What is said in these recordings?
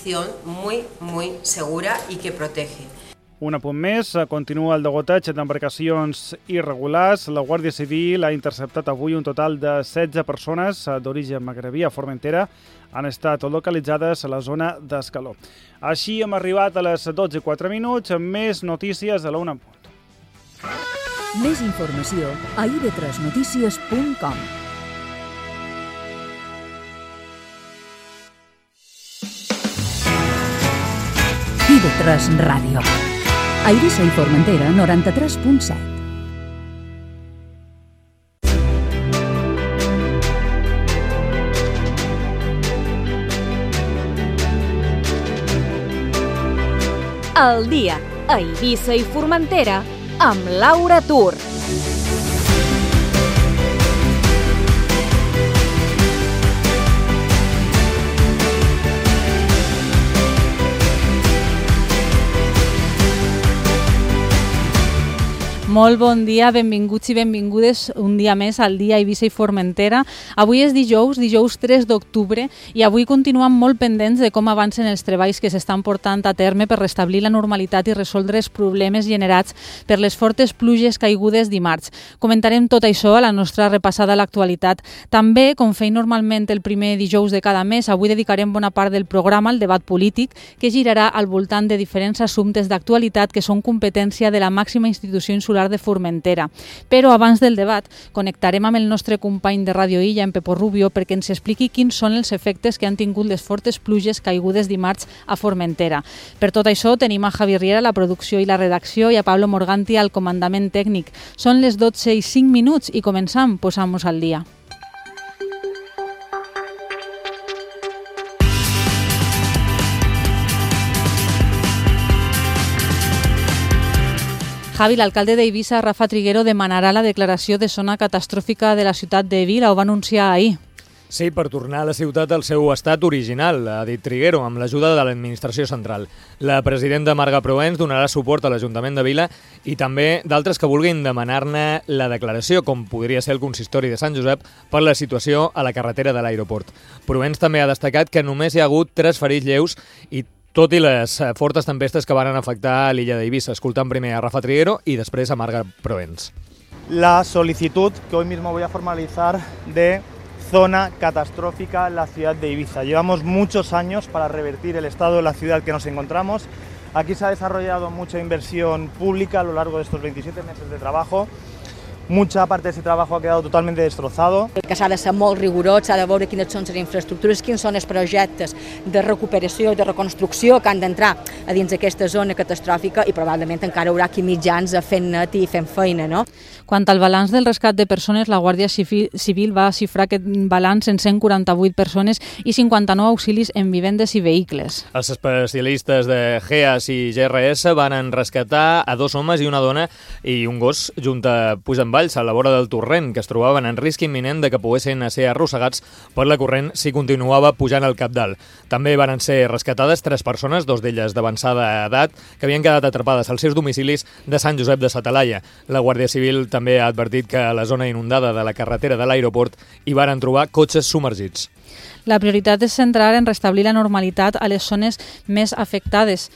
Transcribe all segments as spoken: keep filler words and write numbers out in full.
transición muy, muy segura y que protege. Un apunt més, continua el degoteig d'embarcacions irregulars. La Guàrdia Civil ha interceptat avui un total de setze persones d'origen magrebí a Formentera. Han estat localitzades a la zona d'Escaló. Així hem arribat a les dotze i quatre minuts amb més notícies a la una en punt. Més informació a i ve tres notícies punt com. i ve tres Ràdio. A Eivissa i Formentera, noranta-tres punt set. El dia a Eivissa i Formentera amb Laura Tur. Molt bon dia, benvinguts i benvingudes un dia més al dia Eivissa i Formentera. Avui és dijous, dijous tres d'octubre, i avui continuem molt pendents de com avancen els treballs que s'estan portant a terme per restablir la normalitat i resoldre els problemes generats per les fortes pluges caigudes dimarts. Comentarem tot això a la nostra repassada a l'actualitat. També, com feim normalment el primer dijous de cada mes, avui dedicarem bona part del programa al debat polític, que girarà al voltant de diferents assumptes d'actualitat que són competència de la màxima institució insular de Formentera. Però abans del debat connectarem amb el nostre company de Ràdio Illa, en Pepo Rubio, perquè ens expliqui quins són els efectes que han tingut les fortes pluges caigudes dimarts a Formentera. Per tot això tenim a Javi Riera a la producció i la redacció i a Pablo Morganti al comandament tècnic. Són les dotze i cinc minuts i començam, posam-nos al dia. Javi, l'alcalde d'Eivissa, Rafa Triguero, demanarà la declaració de zona catastròfica de la ciutat de Vila, ho va anunciar ahir. Sí, per tornar a la ciutat al seu estat original, ha dit Triguero, amb l'ajuda de l'administració central. La presidenta Marga Proens donarà suport a l'Ajuntament de Vila i també d'altres que vulguin demanar-ne la declaració, com podria ser el consistori de Sant Josep, per la situació a la carretera de l'aeroport. Proens també ha destacat que només hi ha hagut tres ferits lleus i tot i les fortes tempestes que van afectar a l'illa d'Eivissa. Escoltant primer a Rafa Triguero y després a Marga Proens. La solicitud que hoy mismo voy a formalizar de zona catastrófica en la ciudad de Eivissa. Llevamos muchos años para revertir el estado de la ciudad en el que nos encontramos. Aquí se ha desarrollado mucha inversión pública a lo largo de estos veintisiete meses de trabajo. Mucha parte de ese trabajo ha quedado totalmente destrozado. Que s'ha de ser molt rigorós, s'ha de veure quines són les infraestructures, quins són els projectes de recuperació i de reconstrucció que han d'entrar a dins d'aquesta zona catastròfica i probablement encara haurà aquí mitjans fent net i fent feina, no? Quant al balanç del rescat de persones, la Guàrdia Civil va xifrar aquest balanç en cent quaranta-vuit persones i cinquanta-nou auxilis en vivendes i vehicles. Els especialistes de G E A S i G R S van rescatar a dos homes i una dona i un gos junt a Puigdemvalls, a la vora del torrent, que es trobaven en risc imminent de que poguessin ser arrossegats per la corrent si continuava pujant al cabdal. També van ser rescatades tres persones, dos d'elles d'avançada edat, que havien quedat atrapades als seus domicilis de Sant Josep de sa Talaia. La Guàrdia Civil també ha advertit que a la zona inundada de la carretera de l'aeroport hi varen trobar cotxes submergits. La prioritat és centrar en restablir la normalitat a les zones més afectades.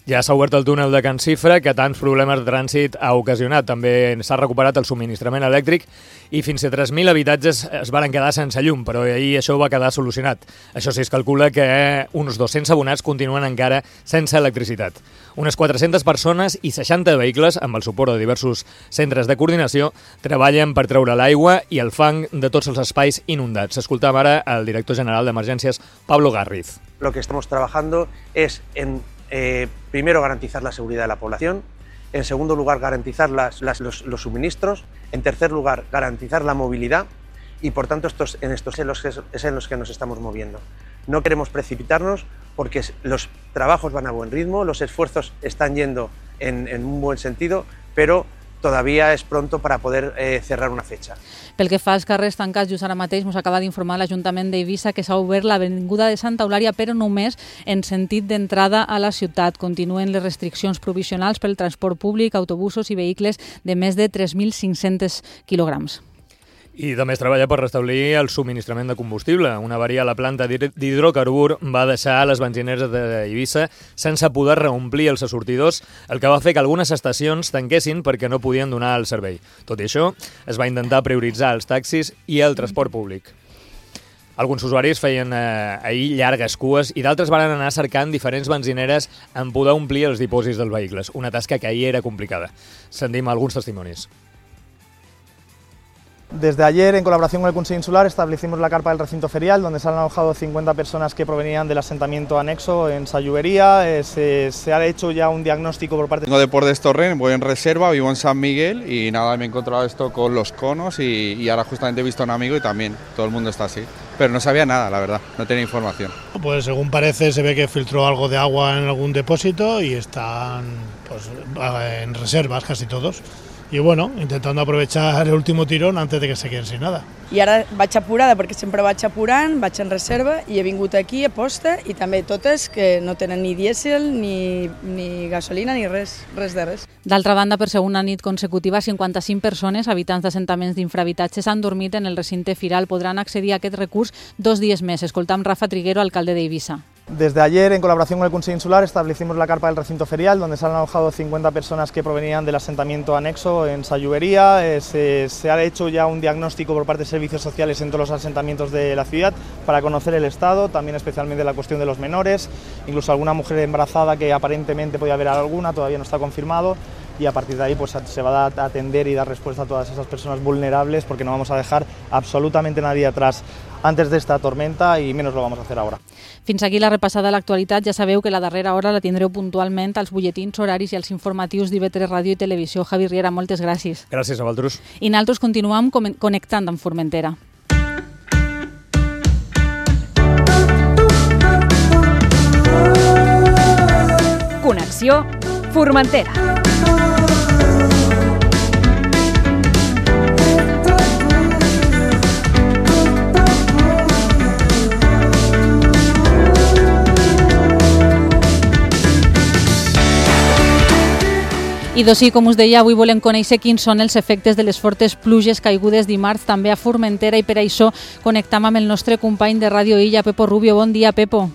Ja s'ha obert el túnel de Can Cifra, que tants problemes de trànsit ha ocasionat. També s'ha recuperat el subministrament elèctric i fins a tres mil habitatges es van quedar sense llum, però ahir això va quedar solucionat. Això sí, es calcula que uns dos-cents abonats continuen encara sense electricitat. Unes quatre-centes persones i seixanta vehicles, amb el suport de diversos centres de coordinació, treballen per treure l'aigua i el fang de tots els espais inundats. Escoltam ara el director general d'Emergències, Pablo Garriz. Lo que estamos trabajando es en Eh, primero, garantizar la seguridad de la población. En segundo lugar, garantizar las, las, los, los suministros. En tercer lugar, garantizar la movilidad. Y por tanto, estos, en estos es en, los que, es en los que nos estamos moviendo. No queremos precipitarnos porque los trabajos van a buen ritmo, los esfuerzos están yendo en, en un buen sentido, pero todavía es pronto para poder eh, cerrar una fecha. Pel que fa als carrers tancats, just ara mateix ens acaba d'informar l'Ajuntament d'Eivissa que s'ha obert l'avinguda de Santa Eulària, però només en sentit d'entrada a la ciutat. Continuen les restriccions provisionals pel transport públic, autobusos i vehicles de més de tres mil cinc-cents quilograms. I també es treballa per restablir el subministrament de combustible. Una avaria a la planta d'hidrocarbur va deixar les benzineres d'Eivissa sense poder reomplir els assortidors, el que va fer que algunes estacions tanquessin perquè no podien donar el servei. Tot i això, es va intentar prioritzar els taxis i el transport públic. Alguns usuaris feien eh, ahir llargues cues i d'altres van anar cercant diferents benzineres en poder omplir els dipòsits dels vehicles, una tasca que ahir era complicada. Sentim alguns testimonis. Desde ayer, en colaboración con el Consell Insular, establecimos la carpa del recinto ferial, donde se han alojado cincuenta personas que provenían del asentamiento anexo en Sallubería. Eh, se, se ha hecho ya un diagnóstico por parte... Vengo de Port d'Estorrent, voy en reserva, vivo en San Miguel y nada, me he encontrado esto con los conos y, y ahora justamente he visto a un amigo y también todo el mundo está así. Pero no sabía nada, la verdad, no tenía información. Pues según parece se ve que filtró algo de agua en algún depósito y están pues, en reservas casi todos. I bueno, intentando aprovechar el último tirón antes de que se queden sin nada. I ara vaig apurada perquè sempre vaig apurant, vaig en reserva i he vingut aquí a posta i també totes que no tenen ni dièsel, ni, ni gasolina, ni res, res de res. D'altra banda, per segona nit consecutiva, cinquanta-cinc persones, habitants d'assentaments d'infrahabitatges, han dormit en el recinte firal. Podran accedir a aquest recurs dos dies més. Escoltam Rafa Triguero, alcalde d'Eivissa. Desde ayer, en colaboración con el Consell Insular, establecimos la carpa del recinto ferial, donde se han alojado cincuenta personas que provenían del asentamiento anexo en Sallubería. Eh, se, se ha hecho ya un diagnóstico por parte de servicios sociales en todos los asentamientos de la ciudad para conocer el estado, también especialmente la cuestión de los menores, incluso alguna mujer embarazada que aparentemente podía haber alguna, todavía no está confirmado. Y a partir de ahí pues, se va a atender y dar respuesta a todas esas personas vulnerables, porque no vamos a dejar absolutamente nadie atrás antes de esta tormenta y menos lo vamos a hacer ahora. Fins aquí la repassada a l'actualitat. Ja sabeu que la darrera hora la tindreu puntualment als butlletins horaris i als informatius d'I V tres Ràdio i Televisió. Javi Riera, moltes gràcies. Gràcies a vosaltres. I nosaltres continuem connectant amb Formentera. Connexió Formentera. I doncs sí, com us deia, avui volem conèixer quins són els efectes de les fortes pluges caigudes dimarts també a Formentera i per això connectam amb el nostre company de Ràdio Illa, Pepo Rubio. Bon dia, Pepo.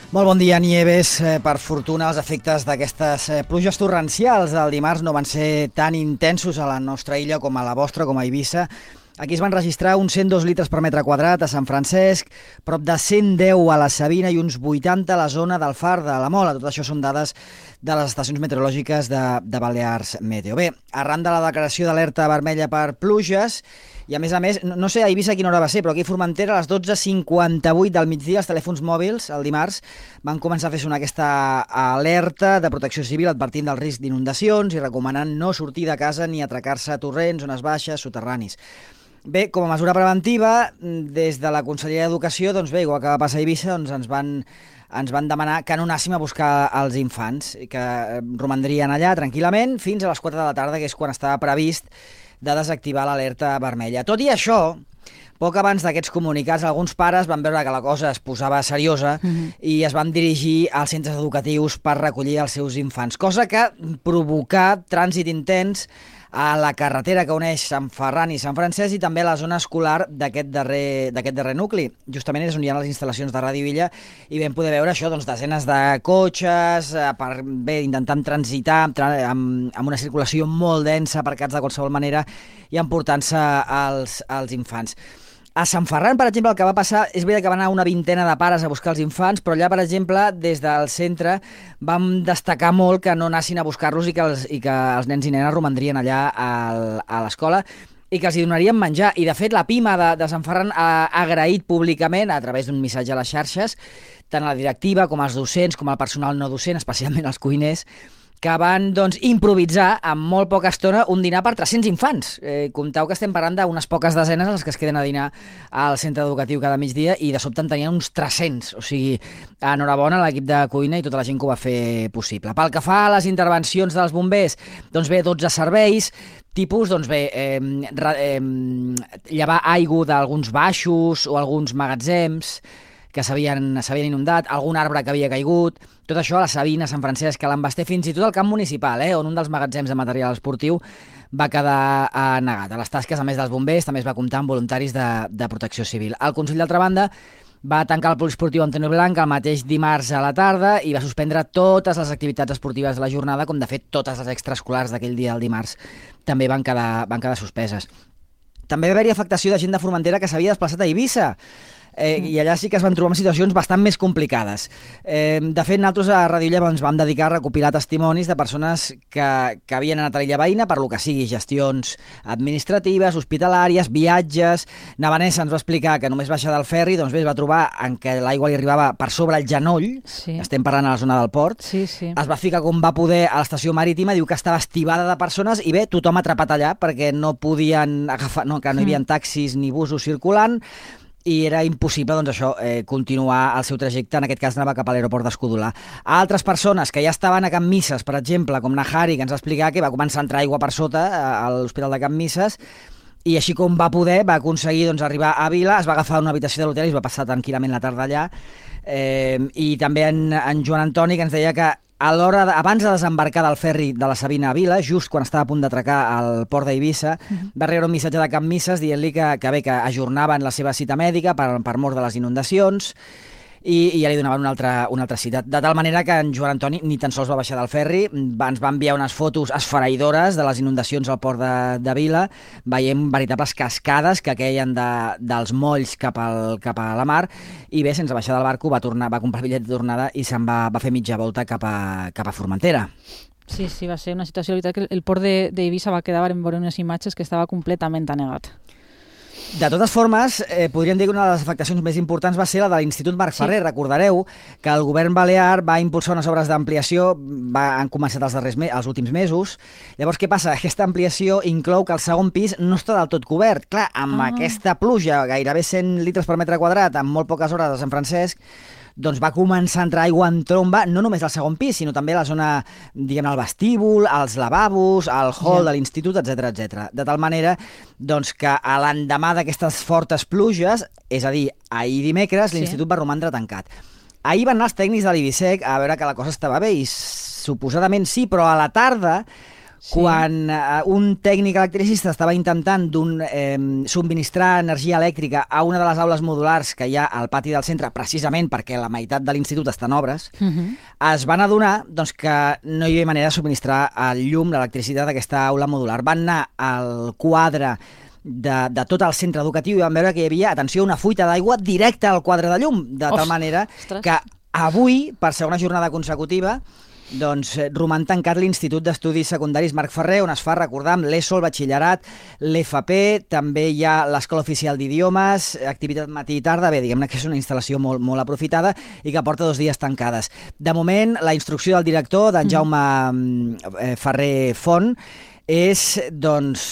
Molt bon dia, Nieves. Per fortuna, els efectes d'aquestes pluges torrencials del dimarts no van ser tan intensos a la nostra illa com a la vostra, com a Eivissa. Aquí es van registrar uns cent dos litres per metre quadrat a Sant Francesc, prop de cent deu a la Sabina i uns vuitanta a la zona del Far de la Mola. Tot això són dades de les estacions meteorològiques de, de Balears Meteo. Bé, arran de la declaració d'alerta vermella per pluges, i a més a més, no, no sé a Eivissa a quina hora va ser, però aquí a Formentera a les dotze cinquanta-vuit del migdia els telèfons mòbils, el dimarts, van començar a fer sonar aquesta alerta de protecció civil advertint del risc d'inundacions i recomanant no sortir de casa ni atracar-se a torrents, zones baixes, soterranis. Bé, com a mesura preventiva, des de la Conselleria d'Educació, doncs bé, igual que va passar a Eivissa, doncs ens van, ens van demanar que no anàssim a buscar els infants, que romandrien allà tranquil·lament fins a les quatre de la tarda, que és quan estava previst de desactivar l'alerta vermella. Tot i això, poc abans d'aquests comunicats, alguns pares van veure que la cosa es posava seriosa mm-hmm. i es van dirigir als centres educatius per recollir els seus infants, cosa que provocà trànsit intens a la carretera que uneix Sant Ferran i Sant Francesc i també a la zona escolar d'aquest darrer, d'aquest darrer nucli. Justament és on hi ha les instal·lacions de Ràdio Illa i vam poder veure això, doncs, desenes de cotxes, per, bé, intentant transitar amb, amb una circulació molt densa, aparcats de qualsevol manera i emportant-se els, els infants. A Sant Ferran, per exemple, el que va passar, és veritat que va anar una vintena de pares a buscar els infants, però allà, per exemple, des del centre vam destacar molt que no anessin a buscar-los i que els, i que els nens i nenes romandrien allà al, a l'escola i que els hi donarien menjar. I, de fet, la Pima de, de Sant Ferran ha agraït públicament, a través d'un missatge a les xarxes, tant a la directiva com als docents, com al personal no docent, especialment els cuiners, que van doncs, improvisar en molt poca estona un dinar per tres-cents infants. Eh, compteu que estem parlant d'unes poques desenes els que es queden a dinar al centre educatiu cada migdia i de sobte en tenien uns tres-cents. O sigui, enhorabona a l'equip de cuina i tota la gent que ho va fer possible. Pel que fa a les intervencions dels bombers, doncs bé, dotze serveis, tipus, doncs bé, eh, eh, llevar aigua d'alguns baixos o alguns magatzems, que s'havien inundat, algun arbre que havia caigut, tot això a la Sabina, Sant Francesc, a l'Embasté, fins i tot al camp municipal, eh, on un dels magatzems de material esportiu va quedar eh, negat. A les tasques, a més dels bombers, també es va comptar amb voluntaris de, de protecció civil. El Consell, d'altra banda, va tancar el poliesportiu Antonio Blanc el mateix dimarts a la tarda i va suspendre totes les activitats esportives de la jornada, com de fet totes les extraescolars d'aquell dia del dimarts també van quedar, van quedar suspeses. També va haver-hi afectació de gent de Formentera que s'havia desplaçat a Eivissa. Eh, I allà sí que es van trobar en situacions bastant més complicades. Eh, de fet, nosaltres a Ràdio Illa ens vam dedicar a recopilar testimonis de persones que, que havien anat a l'illa veïna per lo que sigui, gestions administratives, hospitalàries, viatges. Na Vanessa ens va explicar que només baixar del ferri, doncs bé, es va trobar en què l'aigua li arribava per sobre el genoll, sí. Estem parlant a la zona del port, sí, sí. Es va ficar com va poder a l'estació marítima, diu que estava estibada de persones i bé, tothom atrapat allà perquè no podien agafar, no, que no hi havia taxis ni busos circulant, i era impossible, doncs això, eh, continuar el seu trajecte, en aquest cas anava cap a l'aeroport d'Escudolà. Altres persones que ja estaven a Can Misses, per exemple, com Nahari, que ens va explicar que va començar a entrar aigua per sota a l'Hospital de Can Misses, i així com va poder, va aconseguir doncs, arribar a Vila, es va agafar una habitació de l'hotel i es va passar tranquil·lament la tarda allà. Eh, I també en, en Joan Antoni, que ens deia que a l'hora de, abans de desembarcar del ferri de la Sabina a Vila, just quan estava a punt d'atracar al port d'Eivissa, uh-huh. va rebre un missatge de Can Misses dient-li que, que bé, que ajornaven la seva cita mèdica per, per mort de les inundacions, i, i ja li donaven una altra, una altra cita. De tal manera que en Joan Antoni ni tan sols va baixar del ferri, va, ens va enviar unes fotos esfereïdores de les inundacions al port de, de Vila, veiem veritables cascades que queien de, dels molls cap, al, cap a la mar, i bé, sense baixar del barco va, tornar, va comprar bitllet de tornada i se'n va, va fer mitja volta cap a, cap a Formentera. Sí, sí, va ser una situació, la veritat, que el port d'Eivissa va quedar en veure unes imatges que estava completament anegat. De totes formes, eh, podríem dir que una de les afectacions més importants va ser la de l'Institut Marc Ferrer. Sí. Recordareu que el govern balear va impulsar unes obres d'ampliació, han començat els, darrers me els últims mesos. Llavors, què passa? Aquesta ampliació inclou que el segon pis no està del tot cobert. Clar, amb ah. aquesta pluja, gairebé cent litres per metre quadrat, en molt poques hores de Sant Francesc, doncs va començar a entrar aigua en tromba, no només al segon pis, sinó també a la zona, diguem, al vestíbul, als lavabos, al hall sí. de l'institut, etcètera, etcètera. De tal manera, doncs, que a l'endemà d'aquestes fortes pluges, és a dir, ahir dimecres, sí. l'institut va romandre tancat. Ahir van anar els tècnics de l'Ibisec a veure que la cosa estava bé, i suposadament sí, però a la tarda, sí. quan uh, un tècnic electricista estava intentant eh, subministrar energia elèctrica a una de les aules modulars que hi ha al pati del centre, precisament perquè la meitat de l'institut està en obres, uh-huh. es van adonar doncs, que no hi havia manera de subministrar el llum, l'electricitat d'aquesta aula modular. Van anar al quadre de, de tot el centre educatiu i van veure que hi havia, atenció, una fuita d'aigua directa al quadre de llum, de tal Ost, manera ostres. que avui, per segona jornada consecutiva, doncs roman tancat l'Institut d'Estudis Secundaris Marc Ferrer, on es fa, recordar, l'ESO, el batxillerat, l'F P, també hi ha l'Escola Oficial d'Idiomes, activitat matí i tarda, bé, diguem-ne que és una instal·lació molt, molt aprofitada i que porta dos dies tancades. De moment, la instrucció del director, d'en Jaume mm. Ferrer Font, és, doncs,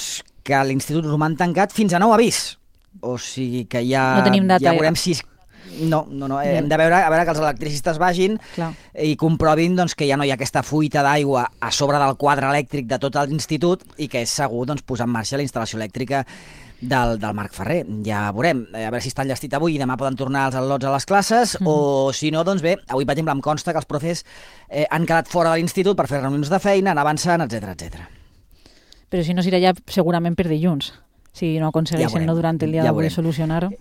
que l'Institut roman tancat fins a nou avís. O sigui que ja, no tenim data, ja veurem si... No, no, no. Hem de veure, a veure que els electricistes vagin Clar. i comprovin doncs, que ja no hi ha aquesta fuita d'aigua a sobre del quadre elèctric de tot l'institut i que és segur doncs, posar en marxa la instal·lació elèctrica del, del Marc Ferrer. Ja veurem, a veure si està enllestit avui i demà poden tornar els al·lots a les classes, mm. o si no, doncs bé, avui, per exemple, em consta que els profes eh, han quedat fora de l'institut per fer reunions de feina, anar avançant, etcètera, etcètera. Però si no, serà ja segurament per dilluns, si no aconsegueixen ja no durant el dia ja d'avui solucionar-ho.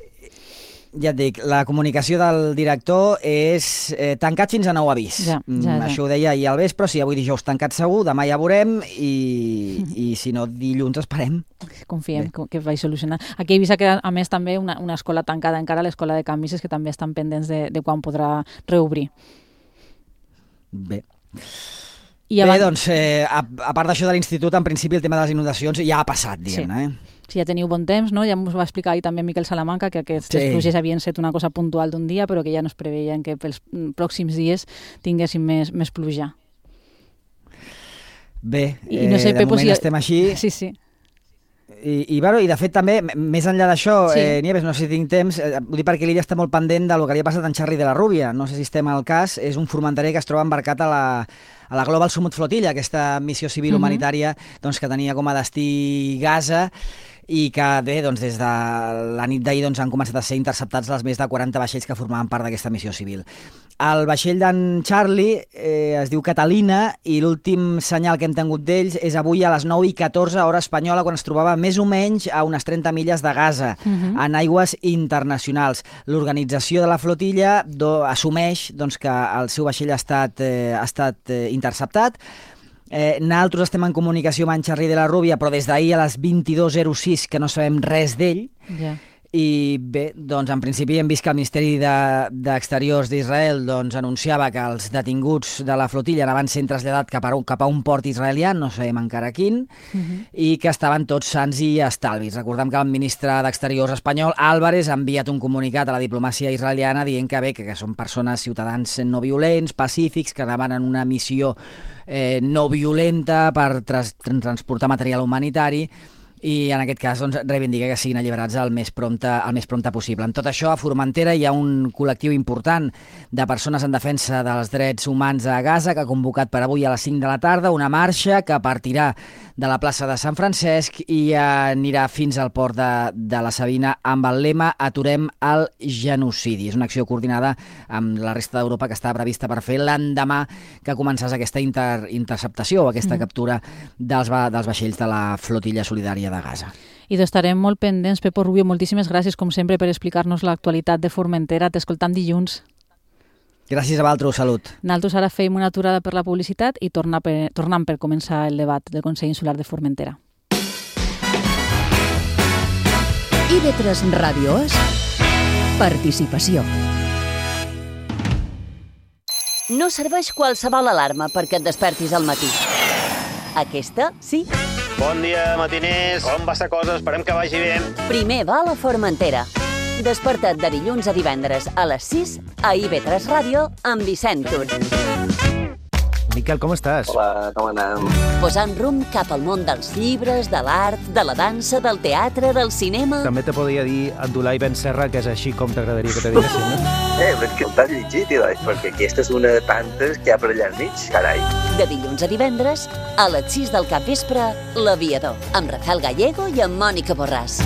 Ja et dic, la comunicació del director és eh, tancat fins a nou avís. Ja, ja, ja. Això ho deia ahir al vespre, si avui dijous tancat segur, demà ja veurem i, i si no dilluns esperem. Confiem Bé. que vaig solucionar. Aquí a Eivissa queda a més també una, una escola tancada encara, l'escola de Can Misses, que també estan pendents de, de quan podrà reobrir. Bé. I abans... Bé, doncs, eh, a, a part d'això de l'institut, en principi el tema de les inundacions ja ha passat, diguem-ne, sí. eh? Si ja teniu bon temps, no? Ja ens va explicar ahir també Miquel Salamanca que aquestes sí. pluges havien set una cosa puntual d'un dia, però que ja no es preveien que pels pròxims dies tinguéssim més, més pluja. Bé, I no sé, eh, de Pepo, moment si... estem així. Sí, sí. I, i, bueno, i de fet també, més enllà d'això, sí. eh, Nieves, no sé si tinc temps, eh, vull dir perquè l'Illa està molt pendent del que li ha passat a en Xarri de la Rúbia. No sé si estem al cas, és un formenterer que es troba embarcat a la, a la Global Sumut Flotilla, aquesta missió civil uh-huh. humanitària doncs, que tenia com a destí Gaza, i que bé, doncs, des de la nit d'ahir doncs, han començat a ser interceptats els més de quaranta vaixells que formaven part d'aquesta missió civil. El vaixell d'en Charlie eh, es diu Catalina i l'últim senyal que hem tingut d'ells és avui a les nou i catorze hora espanyola, quan es trobava més o menys a unes trenta milles de Gaza, uh-huh. en aigües internacionals. L'organització de la flotilla do, assumeix doncs, que el seu vaixell ha estat, eh, ha estat eh, interceptat. Eh, nosaltres estem en comunicació amb en Charlie de la Rúbia, però des d'ahir a les vint-i-dos zero sis que no sabem res d'ell. Yeah. I bé, doncs en principi hem vist que el Ministeri d'Exteriors de, d'Israel doncs, anunciava que els detinguts de la flotilla anaven sent traslladats cap a, cap a un port israelià, no sabem encara quin, uh-huh. i que estaven tots sants i estalvis. Recordem que el ministre d'Exteriors espanyol, Álvarez, ha enviat un comunicat a la diplomàcia israeliana dient que bé, que, que són persones, ciutadans no violents, pacífics, que anaven en una missió eh, no violenta per tras, transportar material humanitari, i en aquest cas doncs, reivindica que siguin alliberats el més, prompte, el més prompte possible. En tot això, a Formentera hi ha un col·lectiu important de persones en defensa dels drets humans a Gaza que ha convocat per avui a les cinc de la tarda una marxa que partirà de la plaça de Sant Francesc i anirà fins al port de, de la Sabina amb el lema Aturem el genocidi. És una acció coordinada amb la resta d'Europa que està prevista per fer l'endemà que començés aquesta inter, interceptació o aquesta mm. captura dels, va, dels vaixells de la flotilla solidària de Gaza. I d'estarem molt pendents. Pepo Rubio, moltíssimes gràcies, com sempre, per explicar-nos l'actualitat de Formentera. T'escoltam dilluns. Gràcies a vosaltres, salut. Nosaltres ara fem una aturada per la publicitat i torna per, tornem per començar el debat del Consell Insular de Formentera. I ve tres Ràdio és participació. No serveix qualsevol alarma perquè et despertis al matí. Aquesta, sí. Bon dia, matiners. Com va la cosa? Esperem que vagi bé. Primer va a la Formentera. Desperta't de dilluns a divendres a les sis a I V tres Ràdio amb Vicent Tur. Miquel, com estàs? Hola, com anem? Posant rumb cap al món dels llibres, de l'art, de la dansa, del teatre, del cinema... També te podria dir Abdulai Ben Serra, que és així com t'agradaria que te diguessin, no? Eh, però és que el t'has llegit, tio, perquè aquesta és una de tantes que hi ha per allà al mig, carai. De dilluns a divendres, a les sis del capvespre, L'Aviador, amb Rafael Gallego i amb Mònica Borràs.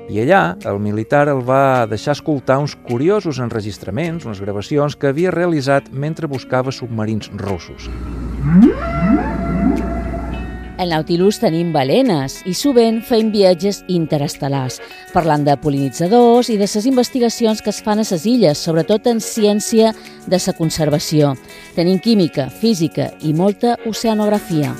I allà, el militar el va deixar escoltar uns curiosos enregistraments, unes gravacions que havia realitzat mentre buscava submarins russos. Al Nautilus tenim balenes i sovint fem viatges interestel·lars, parlant de pol·linitzadors i de les investigacions que es fan a les illes, sobretot en ciència de la conservació. Tenim química, física i molta oceanografia.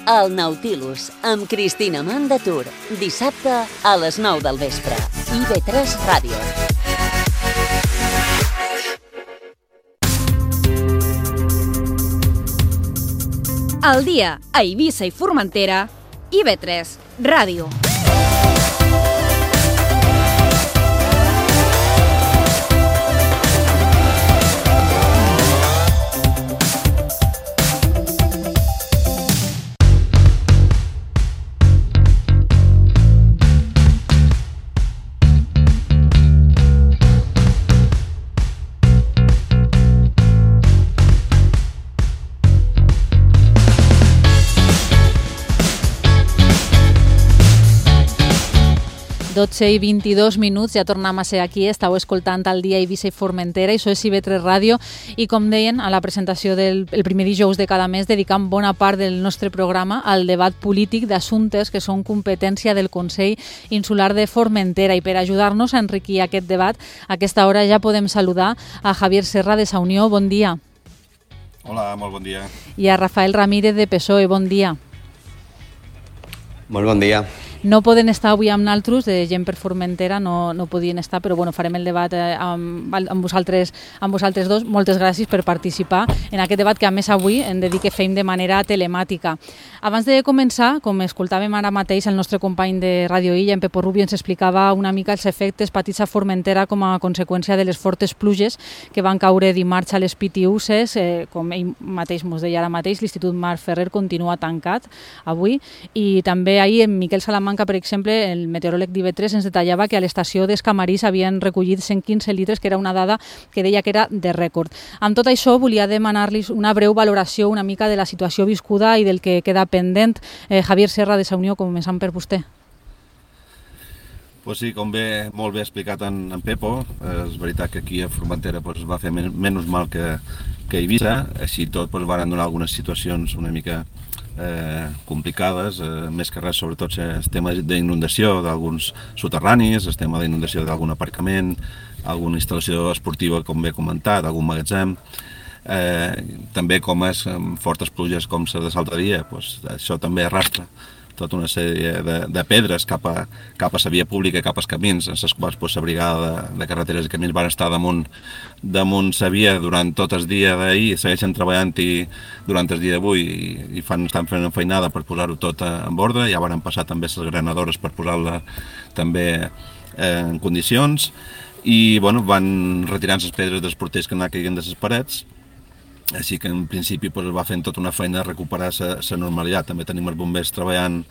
El Nautilus, amb Cristina Mandatur, dissabte a les nou del vespre. I V tres Ràdio. Al dia a Eivissa i Formentera, I V tres Ràdio. dotze i vint-i-dos minuts, ja tornem a ser aquí, estàu escoltant el dia Eivissa i Formentera, i això és I V tres Ràdio, i com deien, a la presentació del el primer dijous de cada mes dedicam bona part del nostre programa al debat polític d'assumptes que són competència del Consell Insular de Formentera, i per ajudar-nos a enriquir aquest debat, a aquesta hora ja podem saludar a Javier Serra de Sa Unió, bon dia. Hola, molt bon dia. I a Rafael Ramírez de P S O E, bon dia. Molt bon dia. No poden estar avui amb naltros, de gent per Formentera, no, no podien estar, però bueno, farem el debat eh, amb, amb, vosaltres, amb vosaltres dos. Moltes gràcies per participar en aquest debat que a més avui hem de dir que fem de manera telemàtica. Abans de començar, com escoltàvem ara mateix el nostre company de Radio Illa, en Pepo Rubio, ens explicava una mica els efectes patits a Formentera com a conseqüència de les fortes pluges que van caure dimarts a les Pitiuses. Eh, com ell mateix ens deia ara mateix, l'Institut Marc Ferrer continua tancat avui, i també ahir en Miquel Salamà Salamanca, per exemple, el meteoròleg d'I V tres ens detallava que a l'estació d'Escamari s'havien recollit cent quinze litres, que era una dada que deia que era de rècord. Amb tot això, volia demanar-li una breu valoració una mica de la situació viscuda i del que queda pendent. Eh, Javier Serra, de Sa Unió, començant per vostè. Pues sí, com bé, molt bé explicat en, en Pepo, eh, és veritat que aquí a Formentera pues, va fer men menys mal que, que a Eivissa, així tot pues, van donar algunes situacions una mica eh, complicades, eh, més que res sobretot el tema d'inundació d'alguns soterranis, el tema d'inundació d'algun aparcament, alguna instal·lació esportiva, com bé comentat, algun magatzem, eh, també com és amb fortes pluges com la de l'altre dia, pues, això també arrastra tota una sèrie de, de pedres cap a, cap a la via pública, cap als camins, en les quals pues, la brigada de, de carreteres i camins van estar damunt, damunt la via durant tot el dia d'ahir, segueixen treballant-hi durant el dia d'avui i, i fan, estan fent una feinada per posar-ho tot en ordre, ja van passar també les granadores per posar-la també eh, en condicions i bueno, van retirant les pedres dels porters que anaven caient de les parets. Així que en principi pues, va fent tota una feina de recuperar la normalitat. També tenim els bombers treballant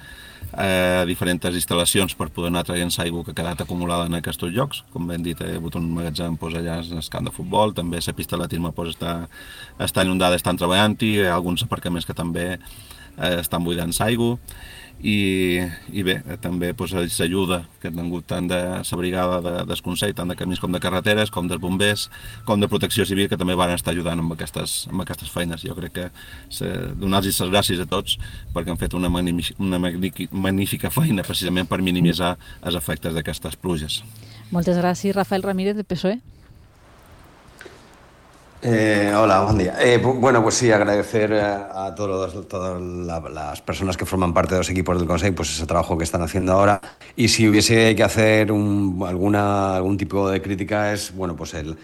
a eh, diferents instal·lacions per poder anar traient l'aigua que ha quedat acumulada en aquests llocs. Com ben dit, hi ha hagut un magatzem pues, allà en el camp de futbol, també la pista d'atletisme pues, està, està inundada, estan treballant-hi, hi ha alguns aparcaments que també eh, estan buidant l'aigua. I, i bé, també pues, l'ajuda que han tingut tant de la brigada de, del Consell, tant de camins com de carreteres, com dels bombers, com de protecció civil, que també van estar ajudant amb aquestes, amb aquestes feines. Jo crec que donar-los les gràcies a tots perquè han fet una, una magnífica feina precisament per minimitzar els efectes d'aquestes pluges. Moltes gràcies, Rafael Ramírez, de P S O E. Eh, hola, buen día. Eh, bueno, pues sí, agradecer a todos, todas la, las personas que forman parte de los equipos del Consejo pues ese trabajo que están haciendo ahora. Y si hubiese que hacer un, alguna, algún tipo de crítica es, bueno, pues el,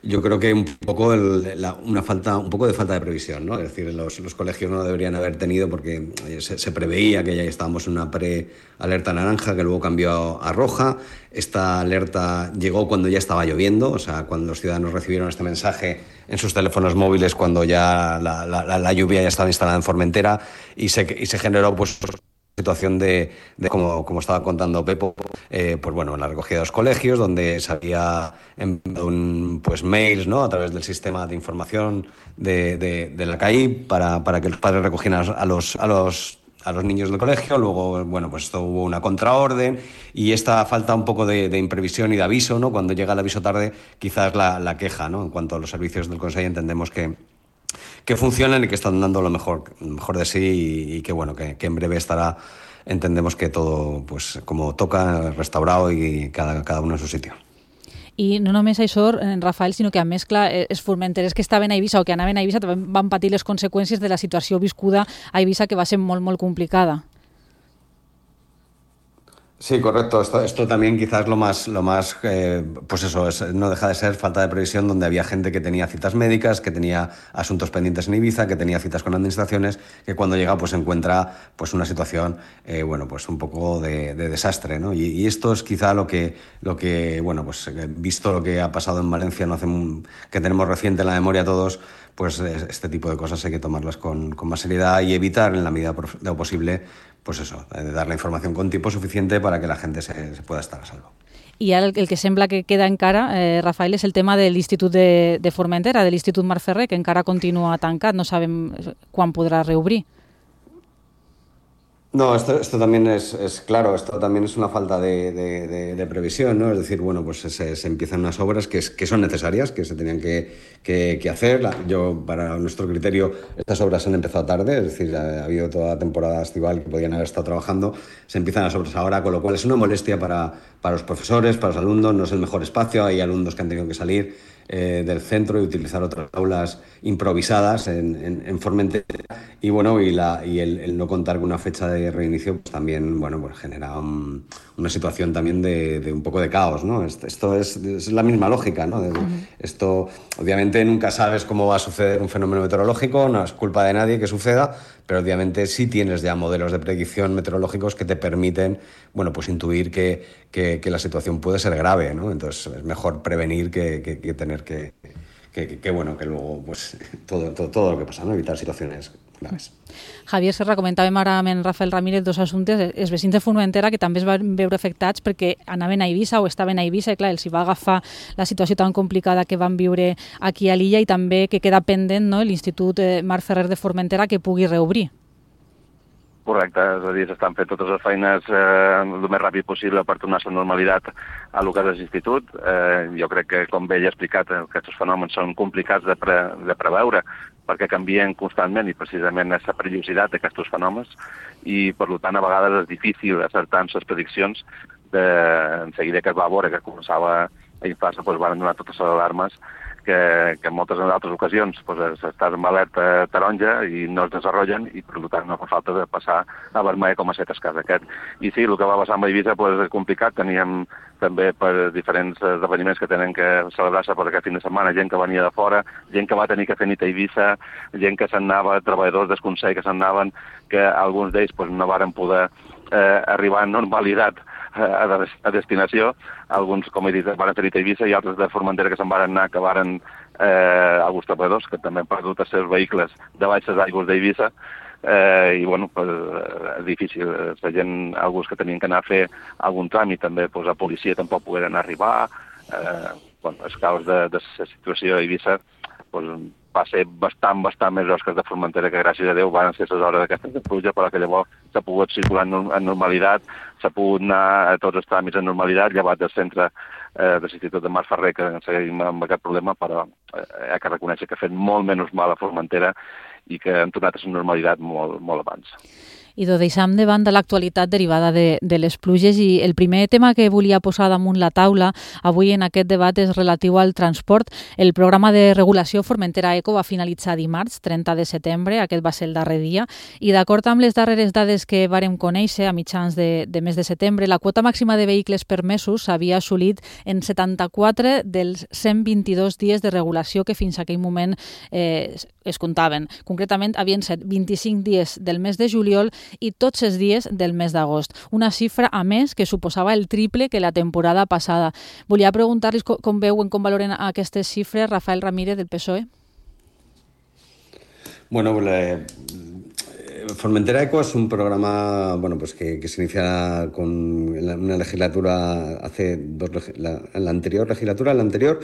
yo creo que un poco el, la, una falta, un poco de falta de previsión, ¿no? Es decir, los, los colegios no lo deberían haber tenido porque se, se preveía que ya estábamos en una pre-alerta naranja que luego cambió a roja. Esta alerta llegó cuando ya estaba lloviendo, o sea, cuando los ciudadanos recibieron este mensaje en sus teléfonos móviles cuando ya la, la, la lluvia ya estaba instalada en Formentera y se, y se generó pues situación de, de como, como estaba contando Pepo, eh, pues bueno, en la recogida de los colegios, donde se había enviado un, pues mails, ¿no? A través del sistema de información de, de, de la C A I para, para que los padres recogieran a los, a los a los niños del colegio. Luego, bueno, pues esto hubo una contraorden y esta falta un poco de, de imprevisión y de aviso, ¿no? Cuando llega el aviso tarde, quizás la, la queja, ¿no? En cuanto a los servicios del Consejo, entendemos que que funcionan y que están dando lo mejor, lo mejor de sí y, y que bueno, que, que en breve estará, entendemos que todo pues como toca, restaurado y cada, cada uno en su sitio. I no només això, Rafael, sinó que a més, clar, els formenterers que estaven a Eivissa o que anaven a Eivissa van patir les conseqüències de la situació viscuda a Eivissa, que va ser molt, molt complicada. Sí, correcto. Esto, esto también quizás lo más, lo más eh, pues eso, es, no deja de ser falta de previsión, donde había gente que tenía citas médicas, que tenía asuntos pendientes en Ibiza, que tenía citas con administraciones, que cuando llega pues encuentra pues una situación, eh, bueno, pues un poco de, de desastre, ¿no? Y, y esto es quizá lo que, lo que, bueno, pues visto lo que ha pasado en Valencia, no hace un, que tenemos reciente en la memoria todos, pues este tipo de cosas hay que tomarlas con, con más seriedad y evitar en la medida de lo posible, pues eso, de dar la información con tiempo suficiente para que la gente se, se pueda estar a salvo. I ara el, el que sembla que queda encara, eh, Rafael, és el tema de l'Institut de, de Formentera, de l'Institut Marc Ferrer, que encara continua tancat, no sabem quan podrà reobrir. No, esto, esto también es, es claro, esto también es una falta de, de, de, de previsión, ¿no? Es decir, bueno, pues se, se empiezan unas obras que, es, que son necesarias, que se tenían que, que, que hacer. La, yo, para nuestro criterio, estas obras han empezado tarde, es decir, ha, ha habido toda la temporada estival que podían haber estado trabajando, se empiezan las obras ahora, con lo cual es una molestia para, para los profesores, para los alumnos, no es el mejor espacio, hay alumnos que han tenido que salir eh, del centro y utilizar otras aulas improvisadas en, en, en Formentera y bueno, y, la, y el, el no contar con una fecha de reinicio pues también, bueno, pues genera un, una situación también de, de un poco de caos, ¿no? Esto es, es la misma lógica, ¿no? De, uh-huh. Esto, obviamente, nunca sabes cómo va a suceder un fenómeno meteorológico, no es culpa de nadie que suceda, pero obviamente sí tienes ya modelos de predicción meteorológicos que te permiten, bueno, pues intuir que, que, que la situación puede ser grave, ¿no? Entonces es mejor prevenir que, que, que tener que, que, que, bueno, que luego, pues, todo, todo, todo lo que pasa, ¿no? Evitar situaciones graves. Javier Serra, comentàvem ara amb en Rafael Ramírez dos assumptes. Els vecins de Formentera que també es van veure afectats perquè anaven a Eivissa o estaven a Eivissa i clar, els hi va agafar la situació tan complicada que van viure aquí a l'illa i també que queda pendent, no?, l'Institut Marc Ferrer de Formentera que pugui reobrir. Correcte, és a dir, s'estan fent totes les feines eh, el més ràpid possible per tornar a la normalitat a lo que és l'institut. Eh, jo crec que, com bé ja he explicat, aquests fenòmens són complicats de, pre, de preveure perquè canvien constantment i precisament és la perillositat d'aquests fenòmens i, per tant, a vegades és difícil acertar amb les prediccions. De, en seguida que es va veure que començava a inflar-se, doncs van donar totes les alarmes que, que en moltes altres ocasions doncs, estàs en alerta taronja i no es desenvolupen i per tant no fa falta de passar a vermell com ha estat el cas aquest. I sí, el que va passar amb Eivissa doncs, és complicat, teníem també per diferents esdeveniments que tenen que celebrar-se per aquest fin de setmana, gent que venia de fora, gent que va tenir que fer nit a Eivissa, gent que se'n anava, treballadors del Consell que se'n anaven, que alguns d'ells doncs, no varen poder eh, arribar en normalitat a, a destinació. Alguns, com he dit, van fer nit a Eivissa i altres de Formentera que se'n van anar, que varen eh, alguns treballadors que també han perdut els seus vehicles de baix les aigües d'Eivissa. Eh, i bueno, pues, és difícil, la gent, alguns que tenien que anar a fer algun tràmit també, pues, a policia tampoc pogueren arribar, eh, bueno, els caos de, de la situació a Eivissa pues, va ser bastant, bastant més gros que de Formentera, que gràcies a Déu van ser les hores d'aquestes de pluja, però que llavors s'ha pogut circular en, en normalitat, s'ha pogut anar a tots els tràmits en normalitat, llevat del centre eh, de l'Institut de Marc Ferrer, que seguim amb aquest problema, però eh, hi ha que reconèixer que ha fet molt menys mal a Formentera i que han tornat a la normalitat molt, molt abans. I ho deixam de banda l'actualitat derivada de, de les pluges i el primer tema que volia posar damunt la taula avui en aquest debat és relatiu al transport. El programa de regulació Formentera Eco va finalitzar dimarts, trenta de setembre, aquest va ser el darrer dia, i d'acord amb les darreres dades que vàrem conèixer a mitjans de, de mes de setembre, la quota màxima de vehicles permesos s'havia assolit en setanta-quatre dels cent vint-i-dos dies de regulació que fins a aquell moment eh, es comptaven. Concretament, havien set vint-i-cinc dies del mes de juliol i tots els dies del mes d'agost. Una xifra, a més, que suposava el triple que la temporada passada. Volia preguntar-los com, com veuen, com valoren aquestes xifres, Rafael Ramírez, del P S O E. Bueno, la, Formentera Eco es un programa bueno, pues que, que se inicia con una legislatura hace dos, la, en la anterior legislatura, en la anterior,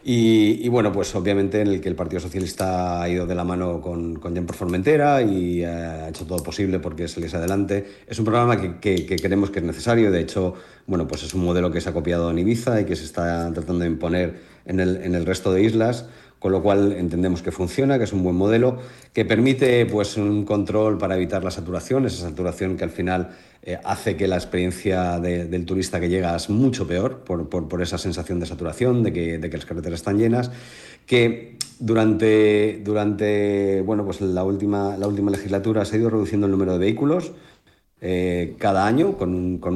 Y, y bueno, pues obviamente en el que el Partido Socialista ha ido de la mano con, con Gent per Formentera y eh, ha hecho todo posible porque saliese adelante. Es un programa que, que, que creemos que es necesario, de hecho, bueno, pues es un modelo que se ha copiado en Ibiza y que se está tratando de imponer en el, en el resto de islas, con lo cual entendemos que funciona, que es un buen modelo, que permite pues un control para evitar la saturación, esa saturación que al final eh, hace que la experiencia de, del turista que llega es mucho peor por, por, por esa sensación de saturación, de que, de que las carreteras están llenas, que durante, durante bueno, pues la, última, la última legislatura se ha ido reduciendo el número de vehículos Eh, cada año con, con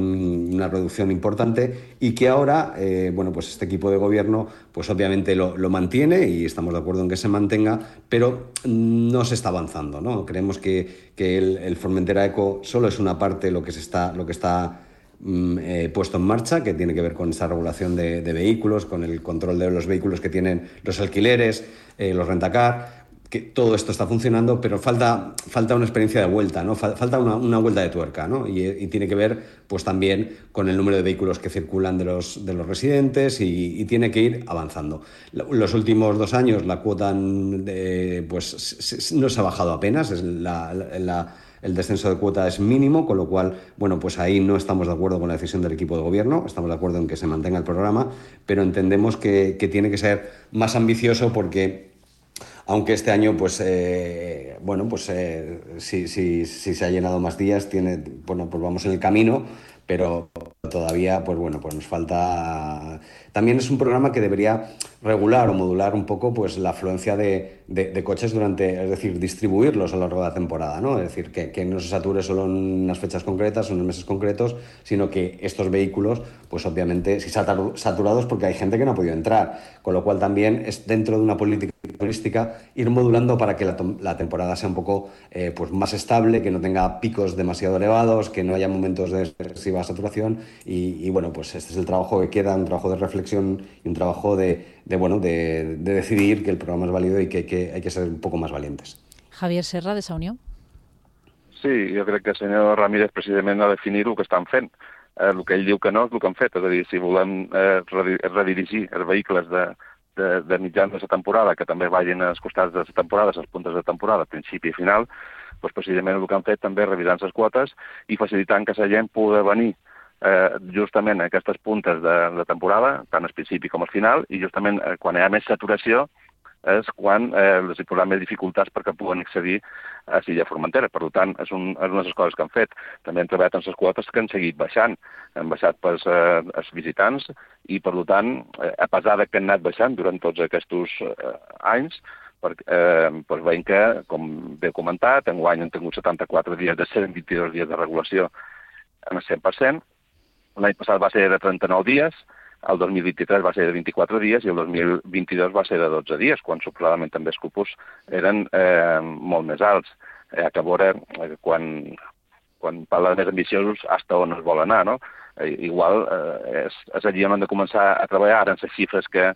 una reducción importante y que ahora eh, bueno, pues este equipo de gobierno pues obviamente lo, lo mantiene y estamos de acuerdo en que se mantenga, pero no se está avanzando, ¿no? Creemos que, que el, el Formentera Eco solo es una parte lo que, se está, lo que está mm, eh, puesto en marcha, que tiene que ver con esa regulación de, de vehículos, con el control de los vehículos que tienen los alquileres, eh, los rentacar, que todo esto está funcionando, pero falta, falta una experiencia de vuelta, ¿no? Falta una, una vuelta de tuerca, ¿no? Y, y tiene que ver pues también con el número de vehículos que circulan de los, de los residentes y, y tiene que ir avanzando. Los últimos dos años la cuota de, pues, no se ha bajado apenas, es la, la, la el descenso de cuota es mínimo, con lo cual, bueno, pues ahí no estamos de acuerdo con la decisión del equipo de gobierno, estamos de acuerdo en que se mantenga el programa, pero entendemos que, que tiene que ser más ambicioso porque aunque este año, pues, eh, bueno, pues eh, si, si, si se ha llenado más días, tiene, bueno, pues vamos en el camino, pero todavía, pues bueno, pues nos falta. También es un programa que debería regular o modular un poco, pues, la afluencia de, de, de coches durante, es decir, distribuirlos a lo largo de la temporada, ¿no? Es decir, que, que no se sature solo en unas fechas concretas o en meses concretos, sino que estos vehículos, pues obviamente, si saturados porque hay gente que no ha podido entrar, con lo cual también es dentro de una política turística ir modulando para que la, la temporada sea un poco eh, pues más estable, que no tenga picos demasiado elevados, que no haya momentos de excesiva saturación y, y bueno, pues este es el trabajo que queda, un trabajo de reflexión y un trabajo de, de bueno, de, de decidir que el programa es válido y que, que hay que ser un poco más valientes. Javier Serra, de Sa Unió. Sí, jo crec que el senyor Ramírez precisament ha de definir el que estan fent. Eh, el que ell diu que no és el que han fet. És a dir, si volem eh, redirigir els vehicles de, de, de mitjans de la temporada, que també vagin als costats de la temporada, als puntes de temporada, principi i final, doncs precisament el que han fet també revisant les quotes i facilitant que la gent pugui venir eh, justament a aquestes puntes de, de temporada, tant al principi com al final, i justament eh, quan hi ha més saturació és quan eh, els hi posaran més dificultats perquè puguen accedir a l'illa Formentera. Per tant, és, un, és una de les coses que han fet. També han treballat amb les quotes que han seguit baixant. Han baixat pels eh, els visitants i, per tant, eh, a pesar que han anat baixant durant tots aquests eh, anys, perquè eh, doncs veiem que, com bé comentat, enguany han tingut setanta-quatre dies de cent vint-i-dos dies de regulació en el cent per cent. L'any passat va ser de trenta-nou dies, el dos mil vint-i-tres va ser de vint-i-quatre dies i el dos mil vint-i-dos va ser de dotze dies, quan suposadament també els cupos eren eh, molt més alts. Eh, que a veure, eh, quan, quan parla de més ambiciosos, fins on es vol anar, no? Eh, igual eh, és, és allí on hem de començar a treballar ara en les xifres que,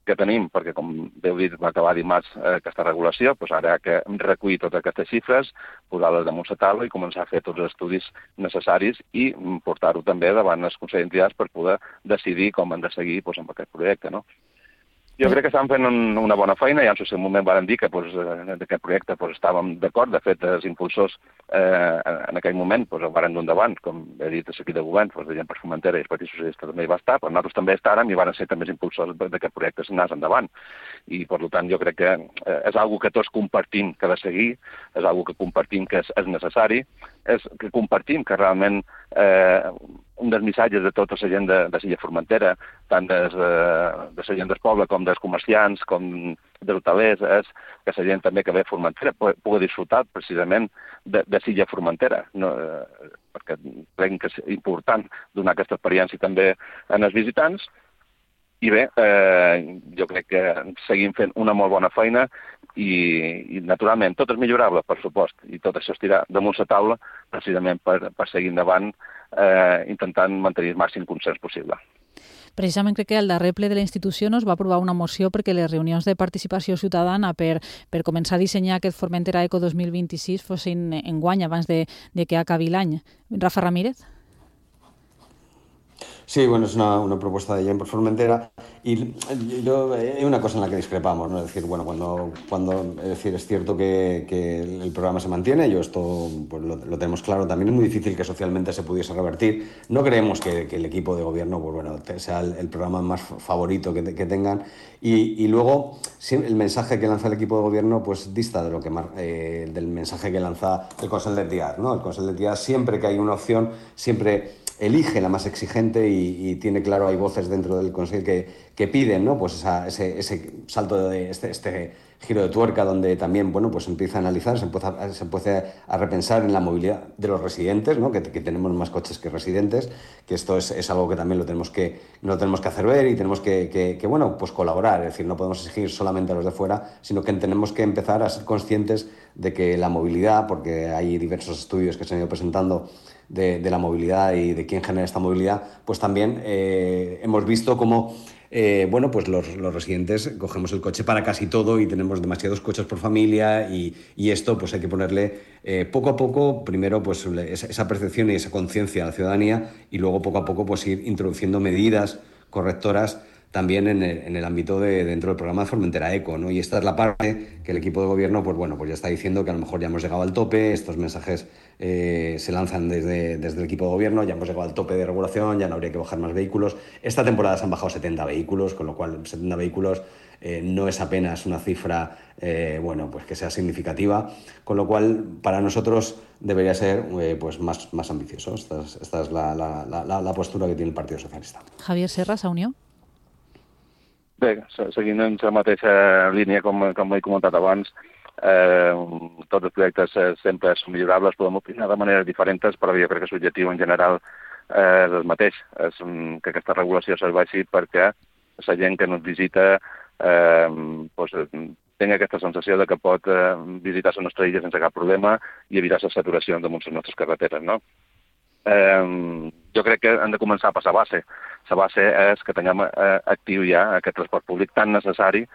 que tenim, perquè, com bé heu dit, va acabar dimarts eh, aquesta regulació, doncs ara que recollir totes aquestes xifres, posar-les damunt la taula i començar a fer tots els estudis necessaris i portar-ho també davant els consells d'entitats per poder decidir com han de seguir doncs, amb aquest projecte, no? Jo crec que estan fent un, una bona feina, ja en el seu moment van dir que doncs, d'aquest projecte doncs, estàvem d'acord. De fet, els impulsors eh, en aquell moment doncs, el van dur endavant, com he dit, l'equip de govern, doncs, de gent per Formentera i el Partit Socialista també hi va estar, però nosaltres també estàrem i van ser també els impulsors d'aquest projecte anés endavant. I, per tant, jo crec que eh, és una que tots compartim que ha de seguir, és una que compartim que és, és necessari, és que compartim que realment eh, un dels missatges de tota la gent de, de l'illa Formentera, tant des, de, de la gent del poble com dels comerciants, com dels hotelers, és que la gent també que ve a Formentera pugui disfrutar precisament de, de l'illa Formentera. No, eh, perquè crec que és important donar aquesta experiència també als visitants. I bé, eh, jo crec que seguim fent una molt bona feina i, i naturalment, tot és millorable, per supost, i tot això es tira damunt la taula precisament per, per seguir endavant eh, intentant mantenir el màxim consens possible. Precisament crec que al darrer ple de la institució no es va aprovar una moció perquè les reunions de participació ciutadana per, per començar a dissenyar aquest Formentera Eco dos mil vint-i-sis fossin enguany abans de, de que acabi l'any. Rafa Ramírez? Sí, bueno, es una, una propuesta de Jen por Formentera y yo, hay una cosa en la que discrepamos, ¿no? Es decir, bueno, cuando, cuando es decir, es cierto que, que el programa se mantiene, yo esto pues, lo, lo tenemos claro, también es muy difícil que socialmente se pudiese revertir. No creemos que, que el equipo de gobierno pues, bueno, sea el, el programa más favorito que, que tengan y, y luego el mensaje que lanza el equipo de gobierno pues dista de lo que eh, del mensaje que lanza el Consell d'Entitats, ¿no? El Consell d'Entitats siempre que hay una opción, siempre elige la más exigente y, y tiene claro, hay voces dentro del Consejo que, que piden, ¿no? Pues esa, ese, ese salto de este, este giro de tuerca donde también, bueno, pues empieza a analizar, se empieza, se empieza a repensar en la movilidad de los residentes, ¿no? Que, que tenemos más coches que residentes, que esto es, es algo que también lo tenemos que, no lo tenemos que hacer ver y tenemos que, que, que, bueno, pues colaborar, es decir, no podemos exigir solamente a los de fuera, sino que tenemos que empezar a ser conscientes de que la movilidad, porque hay diversos estudios que se han ido presentando De, de la movilidad y de quién genera esta movilidad, pues también eh, hemos visto cómo eh, bueno, pues los, los residentes cogemos el coche para casi todo y tenemos demasiados coches por familia y, y esto pues hay que ponerle eh, poco a poco, primero pues esa, esa percepción y esa conciencia a la ciudadanía y luego poco a poco pues ir introduciendo medidas correctoras también en el, en el ámbito de dentro del programa de Formentera Eco, ¿no? Y esta es la parte que el equipo de gobierno, pues bueno, pues ya está diciendo que a lo mejor ya hemos llegado al tope, estos mensajes eh, se lanzan desde, desde el equipo de gobierno, ya hemos llegado al tope de regulación, ya no habría que bajar más vehículos. Esta temporada se han bajado setenta vehículos, con lo cual setenta vehículos eh, no es apenas una cifra, eh, bueno, pues que sea significativa, con lo cual para nosotros debería ser eh, pues más, más ambicioso. Esta es, esta es la, la, la, la postura que tiene el Partido Socialista. Javier Serra, Sa Unió. Bé, seguint en la mateixa línia, com, com he comentat abans, eh, tots els projectes sempre són millorables, podem opinar de maneres diferents, però jo crec que l'objectiu en general eh, és el mateix, és que aquesta regulació serveixi perquè la gent que ens visita eh, pues, tingui aquesta sensació de que pot eh, visitar la nostra illa sense cap problema i evitar les saturacions damunt les nostres carreteres, no? Eh, jo crec que hem de començar a passar base. La base és que tinguem eh, actiu ja aquest transport públic tan necessari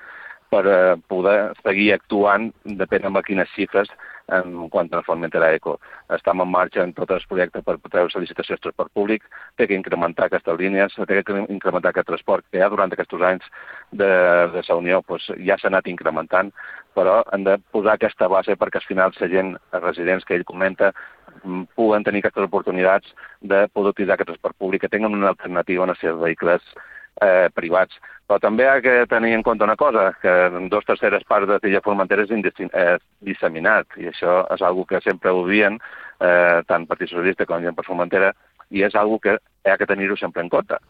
per eh, poder seguir actuant depèn amb quines xifres en quant a Formentera Eco. Estem en marxa en tots els projectes per treure licitacions de transport públic, té que incrementar aquestes línies, té que incrementar aquest transport que ja durant aquests anys de, de la Unió pues, ja s'ha anat incrementant, però hem de posar aquesta base perquè al final la gent, els residents que ell comenta, puguen tenir aquestes oportunitats de poder utilitzar aquest transport públic, que tinguin una alternativa en els seus vehicles eh, privats. Però també hi ha que tenir en compte una cosa, que en dos terceres parts de l'illa Formentera és eh, disseminat, i això és una que sempre ho dient, eh, tant Partit Socialista com gent per Formentera, i és una que hi ha que tenir-ho sempre en compte.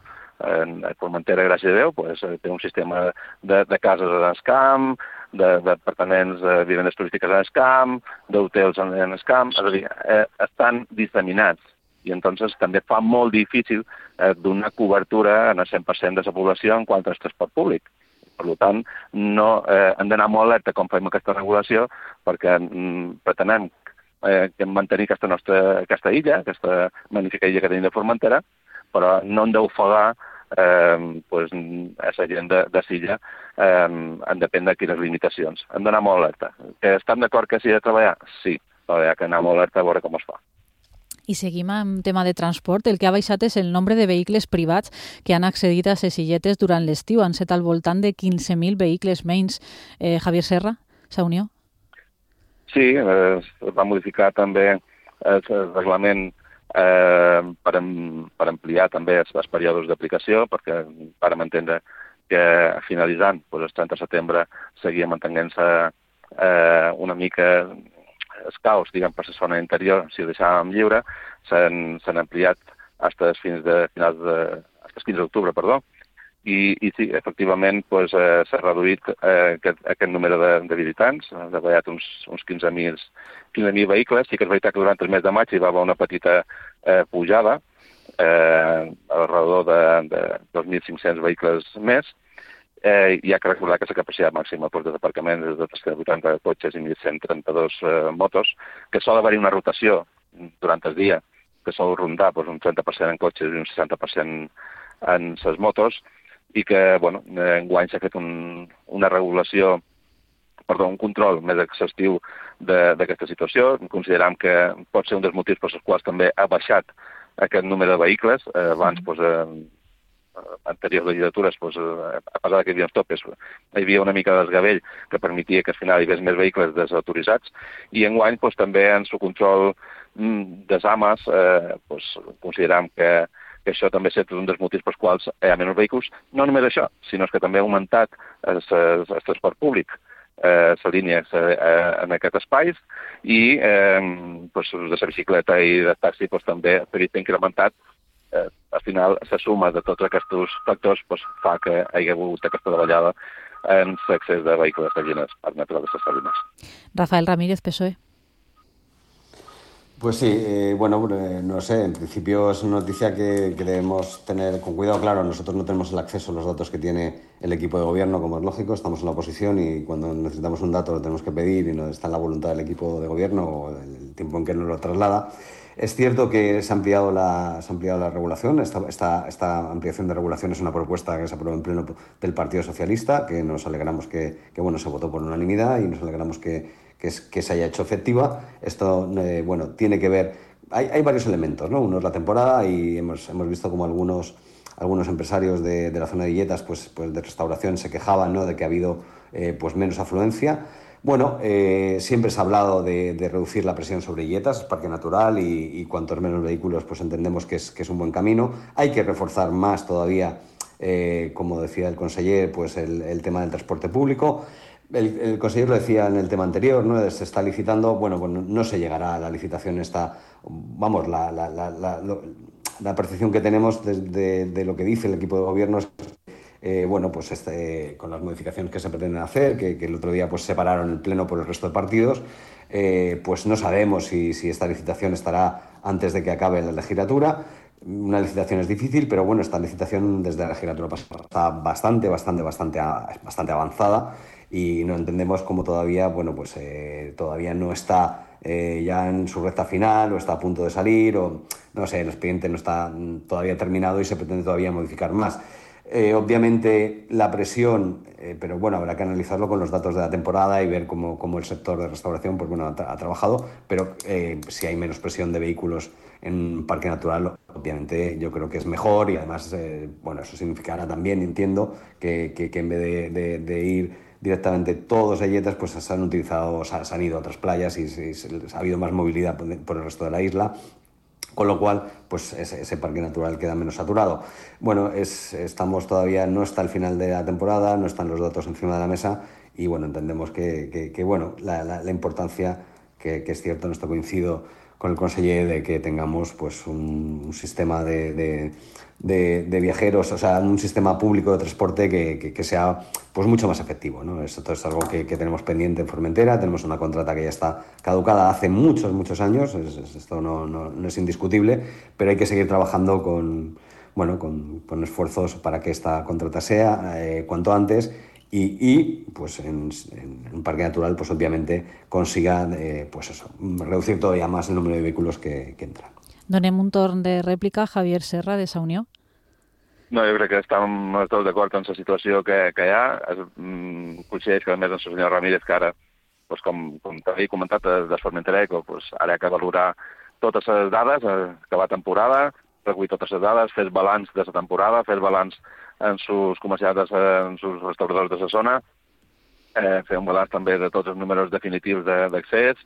En Formentera, gràcies a Déu, pues, té un sistema de, de cases en el camp, d'apartaments, de vivendes turístiques en el camp, d'hotels en el camp, és a dir, eh, estan disseminats. I entonces també fa molt difícil eh, donar cobertura en el cent per cent de la població en quant al transport públic. Per tant, no, eh, hem d'anar molt alerta com fem aquesta regulació, perquè mm, pretenem eh, mantenir aquesta nostra aquesta illa, aquesta magnífica illa que tenim de Formentera, però no hem d'ofegar eh, pues, a la gent de, de Silla eh, en depèn de quines limitacions. Hem d'anar molt alerta. Que estan d'acord que s'hi ha de treballar? Sí, però hi ha que anar molt alerta a veure com es fa. I seguim amb tema de transport. El que ha baixat és el nombre de vehicles privats que han accedit a les illetes durant l'estiu. Han set al voltant de quinze mil vehicles menys. Eh, Javier Serra, s'ha unió? Sí, eh, es va modificar també el reglament eh, per, am, per ampliar també els, els períodes d'aplicació, perquè vàrem entendre que finalitzant pues, el trenta de setembre seguia mantenint-se eh, una mica els caos, diguem, per la zona interior, si ho deixàvem lliure, s'han ampliat fins fins de finals de... fins quinze d'octubre, perdó, i, i sí, efectivament pues, eh, s'ha reduït eh, aquest, aquest número de, de visitants, ha treballat uns, uns quinze mil vehicles. Sí que és veritat que durant el mes de maig hi va haver una petita eh, pujada, eh, al redador de, de dos mil cinc-cents vehicles més, Eh, hi ha que recordar que la capacitat màxima per desaparcament és de tres cents vuitanta cotxes i mil cent trenta-dos eh, motos, que sol haver-hi una rotació durant el dia, que sol rondar pues, un trenta per cent en cotxes i un seixanta per cent en les motos, i que, bueno, enguany s'ha fet un, una regulació, perdó, un control més exhaustiu d'aquesta situació. Consideram que pot ser un dels motius pels quals també ha baixat aquest número de vehicles. Eh, abans, pues, eh, anteriors legislatures, pues, a pesar que hi havia uns topes, hi havia una mica de desgavell que permetia que al final hi hagués més vehicles desautoritzats, i enguany pues, també en el control mm, des ames eh, pues, consideram que, que això també és un dels motius pels quals hi ha menys vehicles. No només això, sinó que també ha augmentat el, el, el transport públic, eh, la línia eh, en aquest espais, i eh, pues, de la bicicleta i de taxi pues, també ha incrementat. Eh, al final, la suma de tots aquests factors pues, fa que hi hagi hagut aquesta davallada en l'accés de vehicles de Salines, al metro de les Salines. Rafael Ramírez, P S O E. Pues sí, eh, bueno, eh, no sé, en principio es una noticia que, que debemos tener con cuidado. Claro, nosotros no tenemos el acceso a los datos que tiene el equipo de gobierno, como es lógico, estamos en la oposición y cuando necesitamos un dato lo tenemos que pedir y no está en la voluntad del equipo de gobierno o el tiempo en que nos lo traslada. Es cierto que se ha ampliado la, se ha ampliado la regulación. Esta, esta, esta ampliación de regulación es una propuesta que se aprobó en pleno del Partido Socialista, que nos alegramos que, que bueno, se votó por unanimidad y nos alegramos que, que, es, que se haya hecho efectiva. Esto eh, bueno, tiene que ver... Hay, hay varios elementos, ¿no? Uno es la temporada y hemos, hemos visto como algunos, algunos empresarios de, de la zona de Illetas, pues, pues de restauración, se quejaban, ¿no?, de que ha habido eh, pues menos afluencia. Bueno, eh, siempre se ha hablado de, de reducir la presión sobre Illetas, es parque natural y, y cuantos menos vehículos pues entendemos que es, que es un buen camino. Hay que reforzar más todavía, eh, como decía el conseller, pues el, el tema del transporte público. El, el conseller lo decía en el tema anterior, ¿no? Se está licitando, bueno, pues no, no se llegará a la licitación esta, vamos, la, la, la, la, la, la percepción que tenemos de, de, de lo que dice el equipo de gobierno es Eh, bueno, pues este, con las modificaciones que se pretenden hacer, que, que el otro día pues separaron el pleno por el resto de partidos, eh, pues no sabemos si, si esta licitación estará antes de que acabe la legislatura. Una licitación es difícil, pero bueno, esta licitación desde la legislatura pasada está bastante, bastante, bastante, bastante avanzada y no entendemos cómo todavía, bueno, pues eh, todavía no está eh, ya en su recta final o está a punto de salir o, no sé, el expediente no está todavía terminado y se pretende todavía modificar más. Eh, obviamente la presión, eh, pero bueno, habrá que analizarlo con los datos de la temporada y ver cómo, cómo el sector de restauración pues, bueno, ha, tra ha trabajado, pero eh, si hay menos presión de vehículos en un parque natural, obviamente yo creo que es mejor y además, eh, bueno, eso significará también, entiendo, que, que, que en vez de, de, de ir directamente todos a Yetas, pues se han utilizado, se han ido a otras playas y, y, y ha habido más movilidad por, por el resto de la isla. Con lo cual, pues ese, ese parque natural queda menos saturado. Bueno, es, estamos todavía, no está el final de la temporada, no están los datos encima de la mesa y bueno, entendemos que, que, que bueno, la, la, la importancia, que, que es cierto, en esto coincido con el conseller, de que tengamos pues un, un sistema de, de, de, de viajeros, o sea, un sistema público de transporte que, que, que sea pues mucho más efectivo, ¿no? Esto es algo que, que tenemos pendiente en Formentera, tenemos una contrata que ya está caducada hace muchos, muchos años, es, es, esto no, no, no es indiscutible, pero hay que seguir trabajando con, bueno, con, con esfuerzos para que esta contrata sea eh, cuanto antes y, y pues en, en un parque natural pues obviamente consiga eh, pues eso, reducir todavía más el número de vehículos que, que entran. Donem un torn de rèplica a Javier Serra, de Sa Unió. No, jo crec que estem tots d'acord amb la situació que, que hi ha. Es, mm, coincideix que a més amb el senyor Ramírez, que ara, pues, com, com t'havia comentat, de Formentera Eco, pues, ara hi ha que valorar totes les dades, acabar temporada, recollir totes les dades, fer el balanç de la temporada, fer el balanç en sus comerciants, en sus restauradors de la zona, eh, fer un balanç també de tots els números definitius d'accés,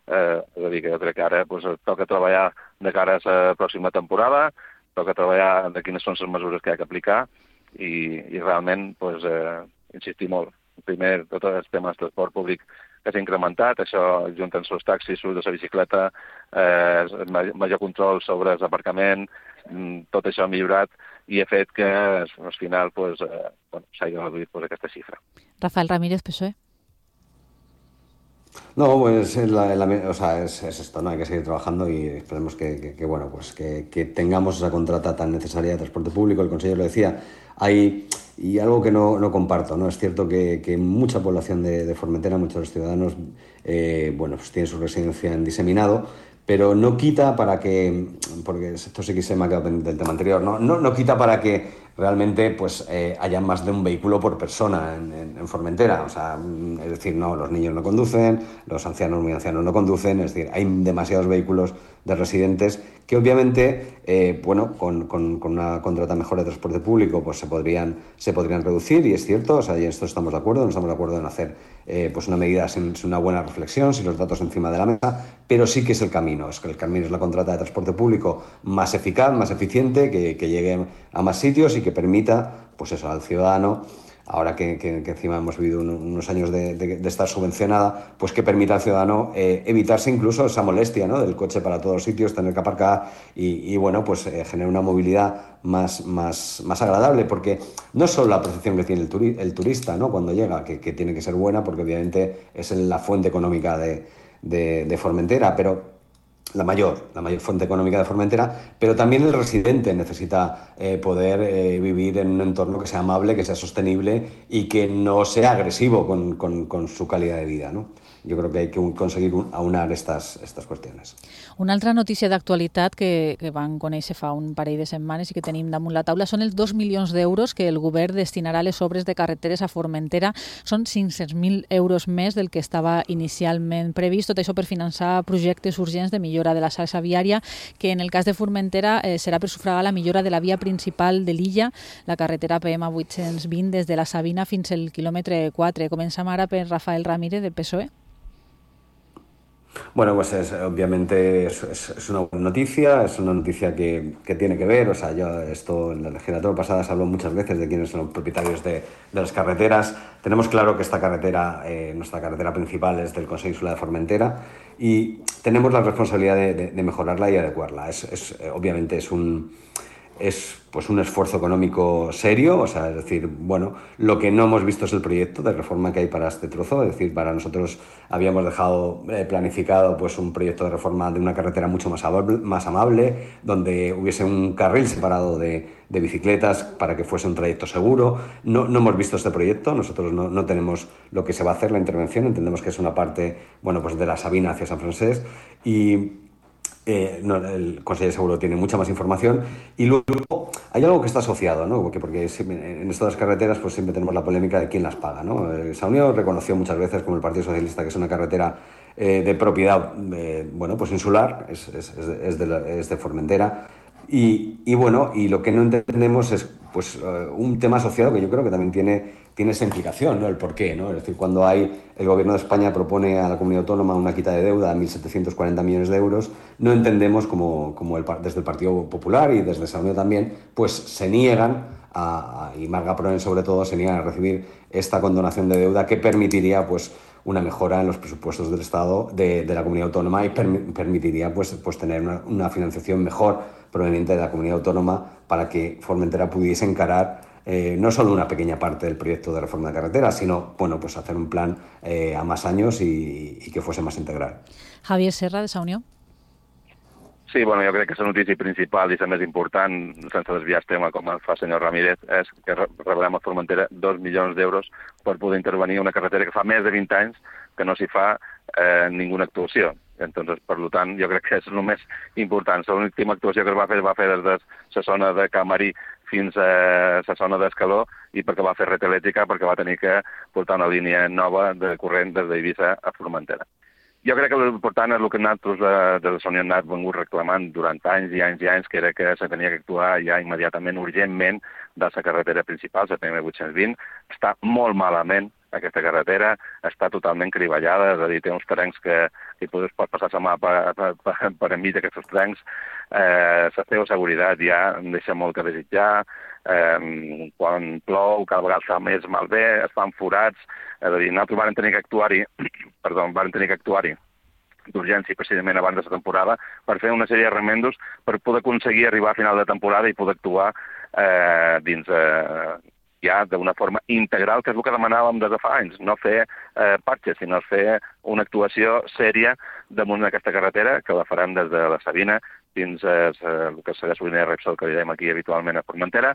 eh, és a dir, que jo crec que ara pues, toca treballar de cara a la pròxima temporada, toca treballar de quines són les mesures que hi ha que aplicar i, i realment pues, eh, insistir molt. Primer, tot el tema del transport públic que s'ha incrementat, això junt amb els taxis, l'ús de la bicicleta, eh, major control sobre l'aparcament, tot això ha millorat i ha fet que al final pues, eh, bueno, s'hagi reduït pues, aquesta xifra. Rafael Ramírez, P S O E. No, pues la, la, o sea, es, es esto, ¿no? Hay que seguir trabajando y esperemos que, que, que bueno, pues que, que tengamos esa contrata tan necesaria de transporte público. El consejero lo decía, hay, y algo que no, no comparto, ¿no? Es cierto que, que mucha población de, de Formentera, muchos de los ciudadanos, eh, bueno, pues tienen su residencia en diseminado, pero no quita para que, porque esto sí que se me ha quedado pendiente del tema anterior, no, no, no quita para que realmente pues eh, haya más de un vehículo por persona en, en, en Formentera. O sea, es decir, no, los niños no conducen, los ancianos muy ancianos no conducen, es decir, hay demasiados vehículos de residentes que obviamente, eh, bueno, con, con, con una contrata mejor de transporte público pues se podrían, se podrían reducir y es cierto, o sea, y en esto estamos de acuerdo, no estamos de acuerdo en hacer eh, pues una medida sin, sin una buena reflexión, sin los datos encima de la mesa, pero sí que es el camino, es que el camino es la contrata de transporte público más eficaz, más eficiente, que, que llegue a más sitios y que permita, pues eso, al ciudadano, ahora que, que, que encima hemos vivido un, unos años de, de, de estar subvencionada, pues que permita al ciudadano eh, evitarse incluso esa molestia, ¿no? Del coche para todos los sitios, tener que aparcar y, y bueno, pues eh, generar una movilidad más, más, más agradable, porque no es solo la percepción que tiene el, turi el turista, ¿no? Cuando llega, que, que tiene que ser buena, porque obviamente es la fuente económica de, de, de Formentera, pero la mayor, la mayor fuente económica de Formentera, pero también el residente necesita eh, poder eh, vivir en un entorno que sea amable, que sea sostenible y que no sea agresivo con, con, con su calidad de vida, ¿no? Jo crec que hay que conseguir aunar estas, estas qüestions. Una altra notícia d'actualitat que, que van conèixer fa un parell de setmanes i que tenim damunt la taula són els dos milions d'euros que el govern destinarà a les obres de carreteres a Formentera. Són cinc-cents mil euros més del que estava inicialment previst, tot això per finançar projectes urgents de millora de la xarxa viària, que en el cas de Formentera eh, serà per sufragar la millora de la via principal de l'illa, la carretera P M vuit-cents vint des de la Sabina fins al quilòmetre quatre. Comencem ara per Rafael Ramírez, del P S O E. Bueno, pues es, obviamente es, es, es una buena noticia, es una noticia que, que tiene que ver, o sea, yo esto en la legislatura pasada se habló muchas veces de quiénes son los propietarios de, de las carreteras. Tenemos claro que esta carretera, eh, nuestra carretera principal es del Consejo Insular de Formentera y tenemos la responsabilidad de, de, de mejorarla y adecuarla. Es, es, obviamente es un... es pues un esfuerzo económico serio, o sea, es decir, bueno, lo que no hemos visto es el proyecto de reforma que hay para este trozo, es decir, para nosotros habíamos dejado eh, planificado pues un proyecto de reforma de una carretera mucho más amable, más amable donde hubiese un carril separado de, de bicicletas para que fuese un trayecto seguro. No, no hemos visto este proyecto, nosotros no, no tenemos lo que se va a hacer, la intervención, entendemos que es una parte, bueno, pues de la Sabina hacia San Francés y Eh, no, el Consejo de Seguro tiene mucha más información y luego hay algo que está asociado, ¿no? Porque, porque en estas carreteras pues siempre tenemos la polémica de quién las paga, ¿no? Eh, Saunió reconoció muchas veces, como el Partido Socialista, que es una carretera eh, de propiedad, eh, bueno, pues insular, es, es, es, de, es, de la, es de Formentera. Y, y bueno, y lo que no entendemos es pues uh, un tema asociado que yo creo que también tiene, tiene esa implicación, ¿no? El por qué, ¿no? Es decir, cuando hay, el Gobierno de España propone a la comunidad autónoma una quita de deuda de mil setecientos cuarenta millones de euros, no entendemos como, como el, desde el Partido Popular y desde Saunió también, pues se niegan a, a, y Marga Proen sobre todo, se niegan a recibir esta condonación de deuda que permitiría pues una mejora en los presupuestos del Estado, de, de la comunidad autónoma y per, permitiría pues, pues tener una, una financiación mejor proveniente de la comunidad autónoma para que Formentera pudiese encarar eh, no solo una pequeña parte del proyecto de reforma de carretera, sino bueno, pues hacer un plan eh, a más años y, i que fuese más integral. Javier Serra, de Saunió. Sí, bueno, jo crec que la notícia principal i la més important, sense desviar el tema com el fa el senyor Ramírez, és que rebrem a Formentera dos milions d'euros per poder intervenir una carretera que fa més de vint anys que no s'hi fa eh, ninguna actuació. Entonces, per tant, jo crec que és el més important. L'última actuació que es va fer va fer des de la zona de Camarí fins a la zona d'Escaló i perquè va fer red elèctrica, perquè va tenir que portar una línia nova de corrent des d'Eivissa a Formentera. Jo crec que l'important és el que nosaltres des de Saunió hem anat vengut reclamant durant anys i anys i anys, que era que se tenia que actuar ja immediatament, urgentment, de la carretera principal, la P M vuit-cents vint. Està molt malament aquesta carretera, està totalment criballada, és a dir, té uns trencs que hi pots passar la mà per, per, per, per enmig d'aquests trencs. Eh, la seva seguretat ja deixa molt que desitjar, eh, quan plou cada vegada està més malbé, es fan forats, és a dir, nosaltres vam tenir que actuar-hi, perdó, vam tenir que actuar-hi d'urgència precisament abans de la temporada per fer una sèrie de remendos per poder aconseguir arribar a final de temporada i poder actuar eh, dins eh, ja d'una forma integral, que és el que demanàvem des de fa anys, no fer eh, patxes, sinó fer una actuació sèria damunt d'aquesta carretera, que la farem des de la Sabina fins a eh, el que segueix la línia de Repsol, que li dèiem aquí habitualment a Formentera,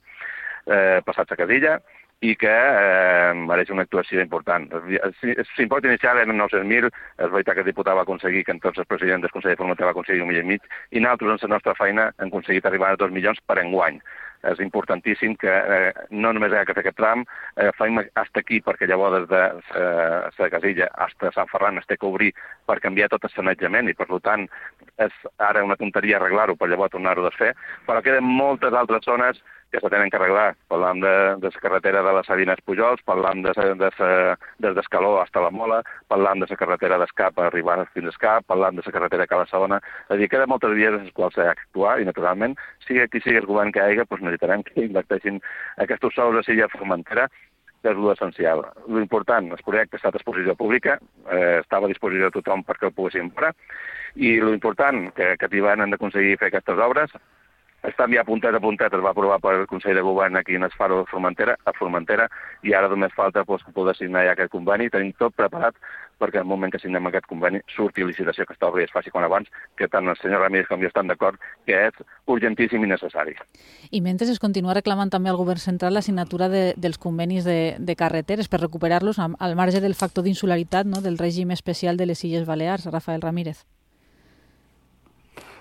eh, passat a Cadilla, i que eh, mereix una actuació important. L'import inicial eren nou-cents mil, és veritat que el diputat va aconseguir, que entonces el president del Consell de Formentera va aconseguir un milió i mig, i nosaltres, en la nostra feina, hem aconseguit arribar a dos milions per enguany. És importantíssim que eh, no només hi ha que fer aquest tram, eh, fem fins aquí, perquè llavors des de eh, la Casilla fins a Sant Ferran es té que obrir per canviar tot el sanejament, i per tant és ara una tonteria arreglar-ho per llavors tornar-ho a desfer, però queden moltes altres zones que se tenen que arreglar. Parlam de, de la carretera de les Sabines Pujols, parlam de, de, de, des d'Escaló fins a la Mola, parlam de la carretera d'Escap arribant fins a Escap, parlam de la carretera de Cala Sabona. És a dir, queden moltes vies en les quals s'ha d'actuar i, naturalment, sigui qui sigui el govern que hi hagi, doncs necessitarem que inverteixin aquests sous a Silla Formentera, que és l'essencial. L'important, el projecte ha estat a disposició pública, eh, estava a disposició de tothom perquè el poguessin veure, i l'important, que aquest hivern hem d'aconseguir fer aquestes obres, estan ja puntet a puntet, es va aprovar pel Consell de Govern aquí en el Faro de Formentera, a Formentera, i ara només falta doncs, poder signar ja aquest conveni. Tenim tot preparat perquè en el moment que signem aquest conveni surti licitació que s'obri i es faci quan abans, que tant el senyor Ramírez com jo estan d'acord que és urgentíssim i necessari. I mentre es continua reclamant també al Govern central la signatura de, dels convenis de, de carreteres per recuperar-los al marge del factor d'insularitat, no?, del règim especial de les Illes Balears. Rafael Ramírez.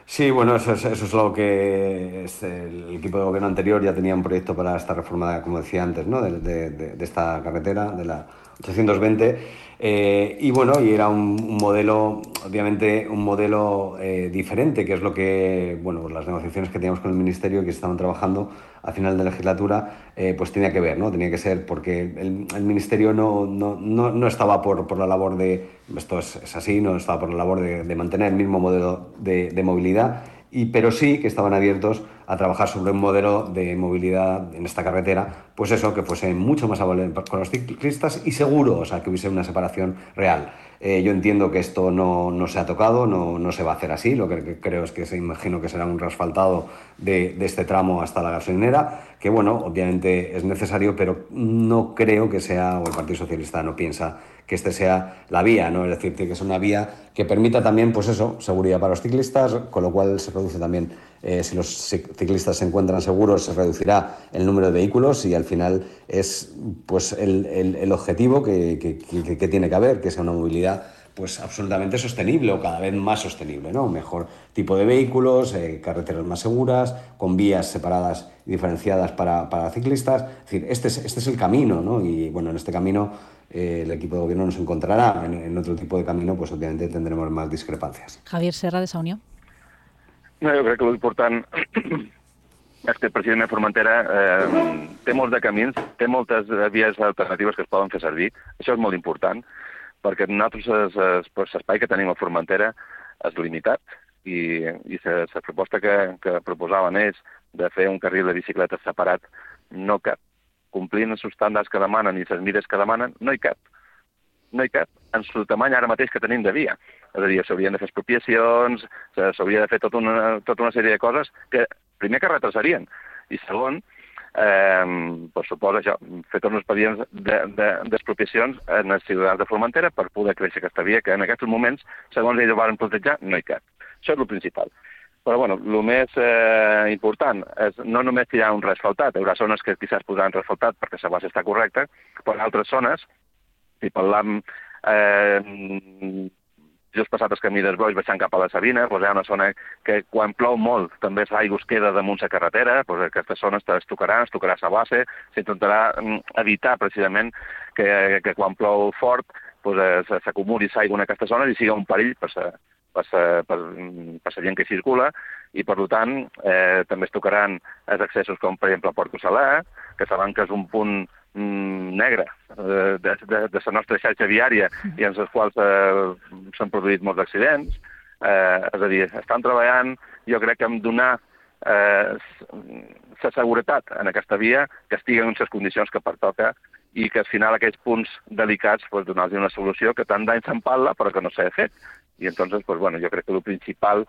Sí, bueno, eso es, eso es lo que es el equipo de gobierno anterior ya tenía un proyecto para esta reforma, como decía antes, ¿no?, de, de, de esta carretera, de la ochocientos veinte, eh, y bueno, y era un, un modelo, obviamente un modelo eh, diferente, que es lo que, bueno, las negociaciones que teníamos con el Ministerio, que estaban trabajando a final de legislatura, eh, pues tenía que ver, ¿no? Tenía que ser porque el, el Ministerio no, no, no, no estaba por, por la labor de, esto es, es así, no estaba por la labor de, de mantener el mismo modelo de, de movilidad, y, pero sí que estaban abiertos a trabajar sobre un modelo de movilidad en esta carretera, pues eso, que fuese mucho más amable con los ciclistas y seguro, o sea, que hubiese una separación real. Eh, yo entiendo que esto no, no se ha tocado, no, no se va a hacer así, lo que creo es que se imagino que será un reasfaltado de, de este tramo hasta la gasolinera, que bueno, obviamente es necesario, pero no creo que sea, o el Partido Socialista no piensa que este sea la vía, ¿no? Es decir, que es una vía que permita también, pues eso, seguridad para los ciclistas, con lo cual se reduce también, eh, si los ciclistas se encuentran seguros, se reducirá el número de vehículos y al final es pues el, el, el objetivo que, que, que, que tiene que haber, que sea una movilidad pues absolutamente sostenible o cada vez más sostenible, ¿no? Un mejor tipo de vehículos, eh, carreteras más seguras, con vías separadas y diferenciadas para, para ciclistas. Es decir, este es, este es el camino, ¿no? Y bueno, en este camino eh, el equipo de gobierno nos encontrará. En, en otro tipo de camino, pues obviamente tendremos más discrepancias. Javier Serra, de Saunió. No, jo crec que l'important és que el president de Formentera eh, té molts de camins, té moltes vies alternatives que es poden fer servir. Això és molt important, perquè nosaltres l'espai que tenim a Formentera és limitat i, i la proposta que, que proposaven ells de fer un carril de bicicletes separat no cap. Complint els estàndards que demanen i les mides que demanen, no hi cap. No hi cap en el tamany ara mateix que tenim de via. És a dir, s'haurien de fer expropiacions, s'hauria de fer tota una, tota una sèrie de coses que primer que retrasarien i segon, eh, pues suposa això, fer tots els expedients d'expropiacions de, de, en els ciutadans de Formentera per poder créixer aquesta via que en aquests moments, segons ells ho van plantejar, no hi cap. Això és el principal. Però bueno, el més eh, important és no només que hi ha un reasfaltat, hi haurà zones que quizás podran reasfaltat perquè la base està correcta, però en altres zones, si parlam eh, just passat el camí dels Boix baixant cap a la Sabina, doncs hi ha una zona que quan plou molt també l'aigua es queda damunt la carretera, doncs aquesta zona es tocarà, es tocarà la base, s'intentarà evitar precisament que, que quan plou fort doncs, s'acumuli l'aigua en aquesta zona i sigui un perill per la per la gent que circula i per tant eh, també es tocaran els accessos com per exemple a Porto Salà, que saben que és un punt negre de, de, de la nostra xarxa viària i en els quals eh, s'han produït molts accidents. Eh, és a dir, estan treballant, jo crec que hem de donar eh, la seguretat en aquesta via, que estigui en les condicions que pertoca i que al final aquests punts delicats pues, donar-los una solució que tant d'any se'n parla però que no s'ha fet. I entonces, pues, bueno, jo crec que el principal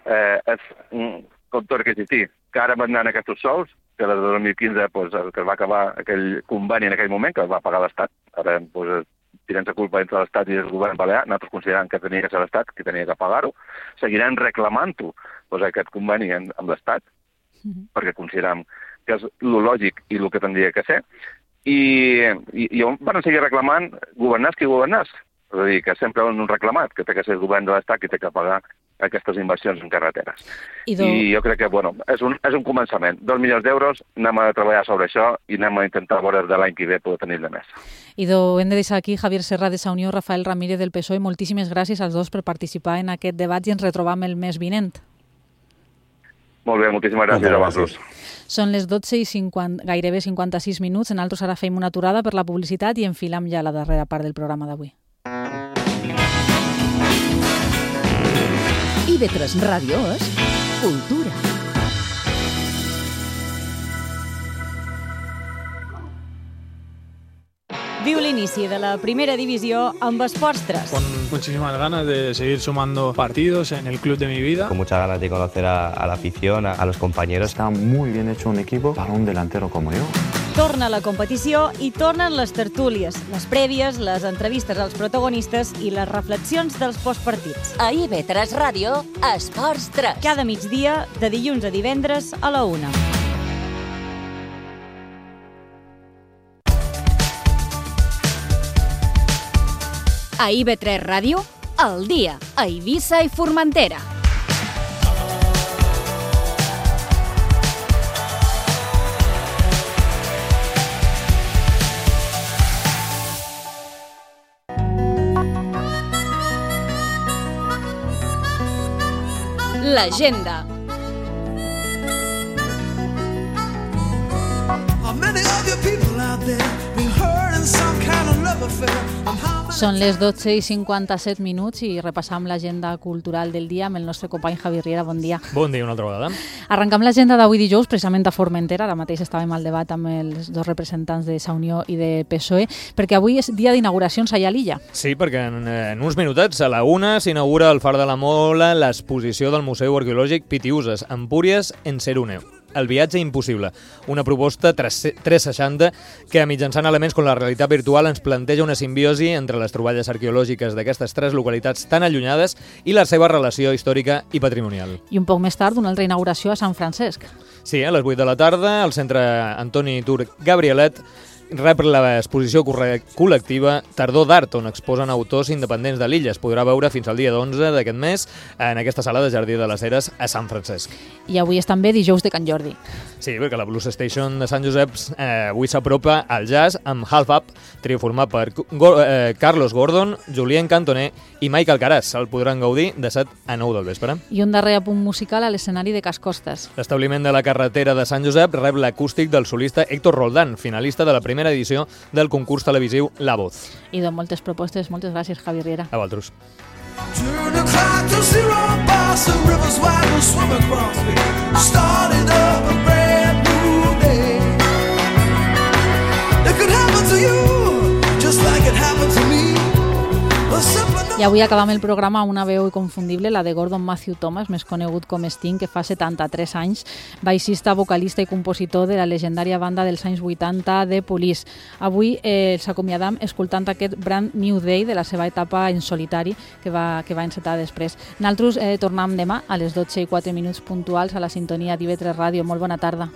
eh, és, com tot que existir, que ara van anar aquests sols, que des de dos mil quinze pues, que va acabar aquell conveni en aquell moment, que va pagar l'Estat. Ara pues, tirem la culpa entre l'Estat i el govern balear, nosaltres considerem que tenia que ser l'Estat, que tenia que pagar-ho. Seguirem reclamant-ho, pues, aquest conveni amb l'Estat, mm-hmm. perquè considerem que és el lògic i el que tindria que ser. I, i, i van seguir reclamant governars qui governars. És a dir, que sempre han reclamat que té que ser el govern de l'Estat qui té que pagar aquestes inversions en carreteres. I, do... I jo crec que, bueno, és un, és un començament. Dos milions d'euros, anem a treballar sobre això i anem a intentar veure de l'any que ve poder tenir de més. I do, hem de deixar aquí Javier Serra de Saunió, Rafael Ramírez del P S O E. Moltíssimes gràcies als dos per participar en aquest debat i ens retrobam el mes vinent. Molt bé, moltíssimes gràcies a vosaltres. Són les dotze i cinquanta, gairebé cinquanta-sis minuts. Nosaltres ara fem una aturada per la publicitat i enfilam ja la darrera part del programa d'avui. I B tres Ràdio és cultura. Viu l'inici de la primera divisió amb Esports tres. Con muchísimas ganas de seguir sumando partidos en el club de mi vida. Con muchas ganas de conocer a, a la afición, a, a los compañeros. Está muy bien hecho un equipo para un delantero como yo. Torna la competició i tornen les tertúlies, les prèvies, les entrevistes als protagonistes i les reflexions dels postpartits. A I B tres Ràdio, Esports tres. Cada migdia, de dilluns a divendres a la una. A I B tres Ràdio, al dia, a Eivissa i Formentera. L'agenda. Són les dotze i cinquanta-set minuts i repassam l'agenda cultural del dia amb el nostre company Javi Riera. Bon dia. Bon dia, una altra vegada. Arrencam l'agenda d'avui dijous, precisament a Formentera. Ara mateix estàvem al debat amb els dos representants de Saunió i de P S O E, perquè avui és dia d'inauguracions allà a l'illa. Sí, perquè en, en uns minutets, a la una, s'inaugura al Far de la Mola l'exposició del Museu Arqueològic Pitiuses, Empúries en Seruneu. El viatge impossible, una proposta tres seixanta que mitjançant elements com la realitat virtual ens planteja una simbiosi entre les troballes arqueològiques d'aquestes tres localitats tan allunyades i la seva relació històrica i patrimonial. I un poc més tard, una altra inauguració a Sant Francesc. Sí, a les vuit de la tarda, al centre Antoni Turc Gabrielet, rep l'exposició col·lectiva Tardor d'Art, on exposen autors independents de l'illa. Es podrà veure fins al dia d'onze d'aquest mes en aquesta sala de Jardí de les Heres a Sant Francesc. I avui és també dijous de Can Jordi. Sí, perquè la Blues Station de Sant Josep eh, avui s'apropa al jazz amb Half Up, trio format per Go eh, Carlos Gordon, Julien Cantoner i Michael Caras. El podran gaudir de set a nou del vespre. I un darrer apunt musical a l'escenari de Cas Costes. L'establiment de la carretera de Sant Josep rep l'acústic del solista Héctor Roldán, finalista de la primera edició del concurs televisiu La Voz. I de moltes propostes. Moltes gràcies, Javi Riera. A vosaltres. Turn the clock to zero, past the rivers wide and swim across me. Started up a brand new day. It could happen to you, just like it happened to me. I avui acabam el programa amb una veu inconfundible, la de Gordon Matthew Thomas, més conegut com Sting, que fa setanta-tres anys, baixista, vocalista i compositor de la legendària banda dels anys vuitanta de Police. Avui eh, els acomiadam escoltant aquest Brand New Day de la seva etapa en solitari que va, que va encetar després. Nosaltres eh, tornem demà a les dotze i quatre minuts puntuals a la sintonia d'I V tres Ràdio. Molt bona tarda.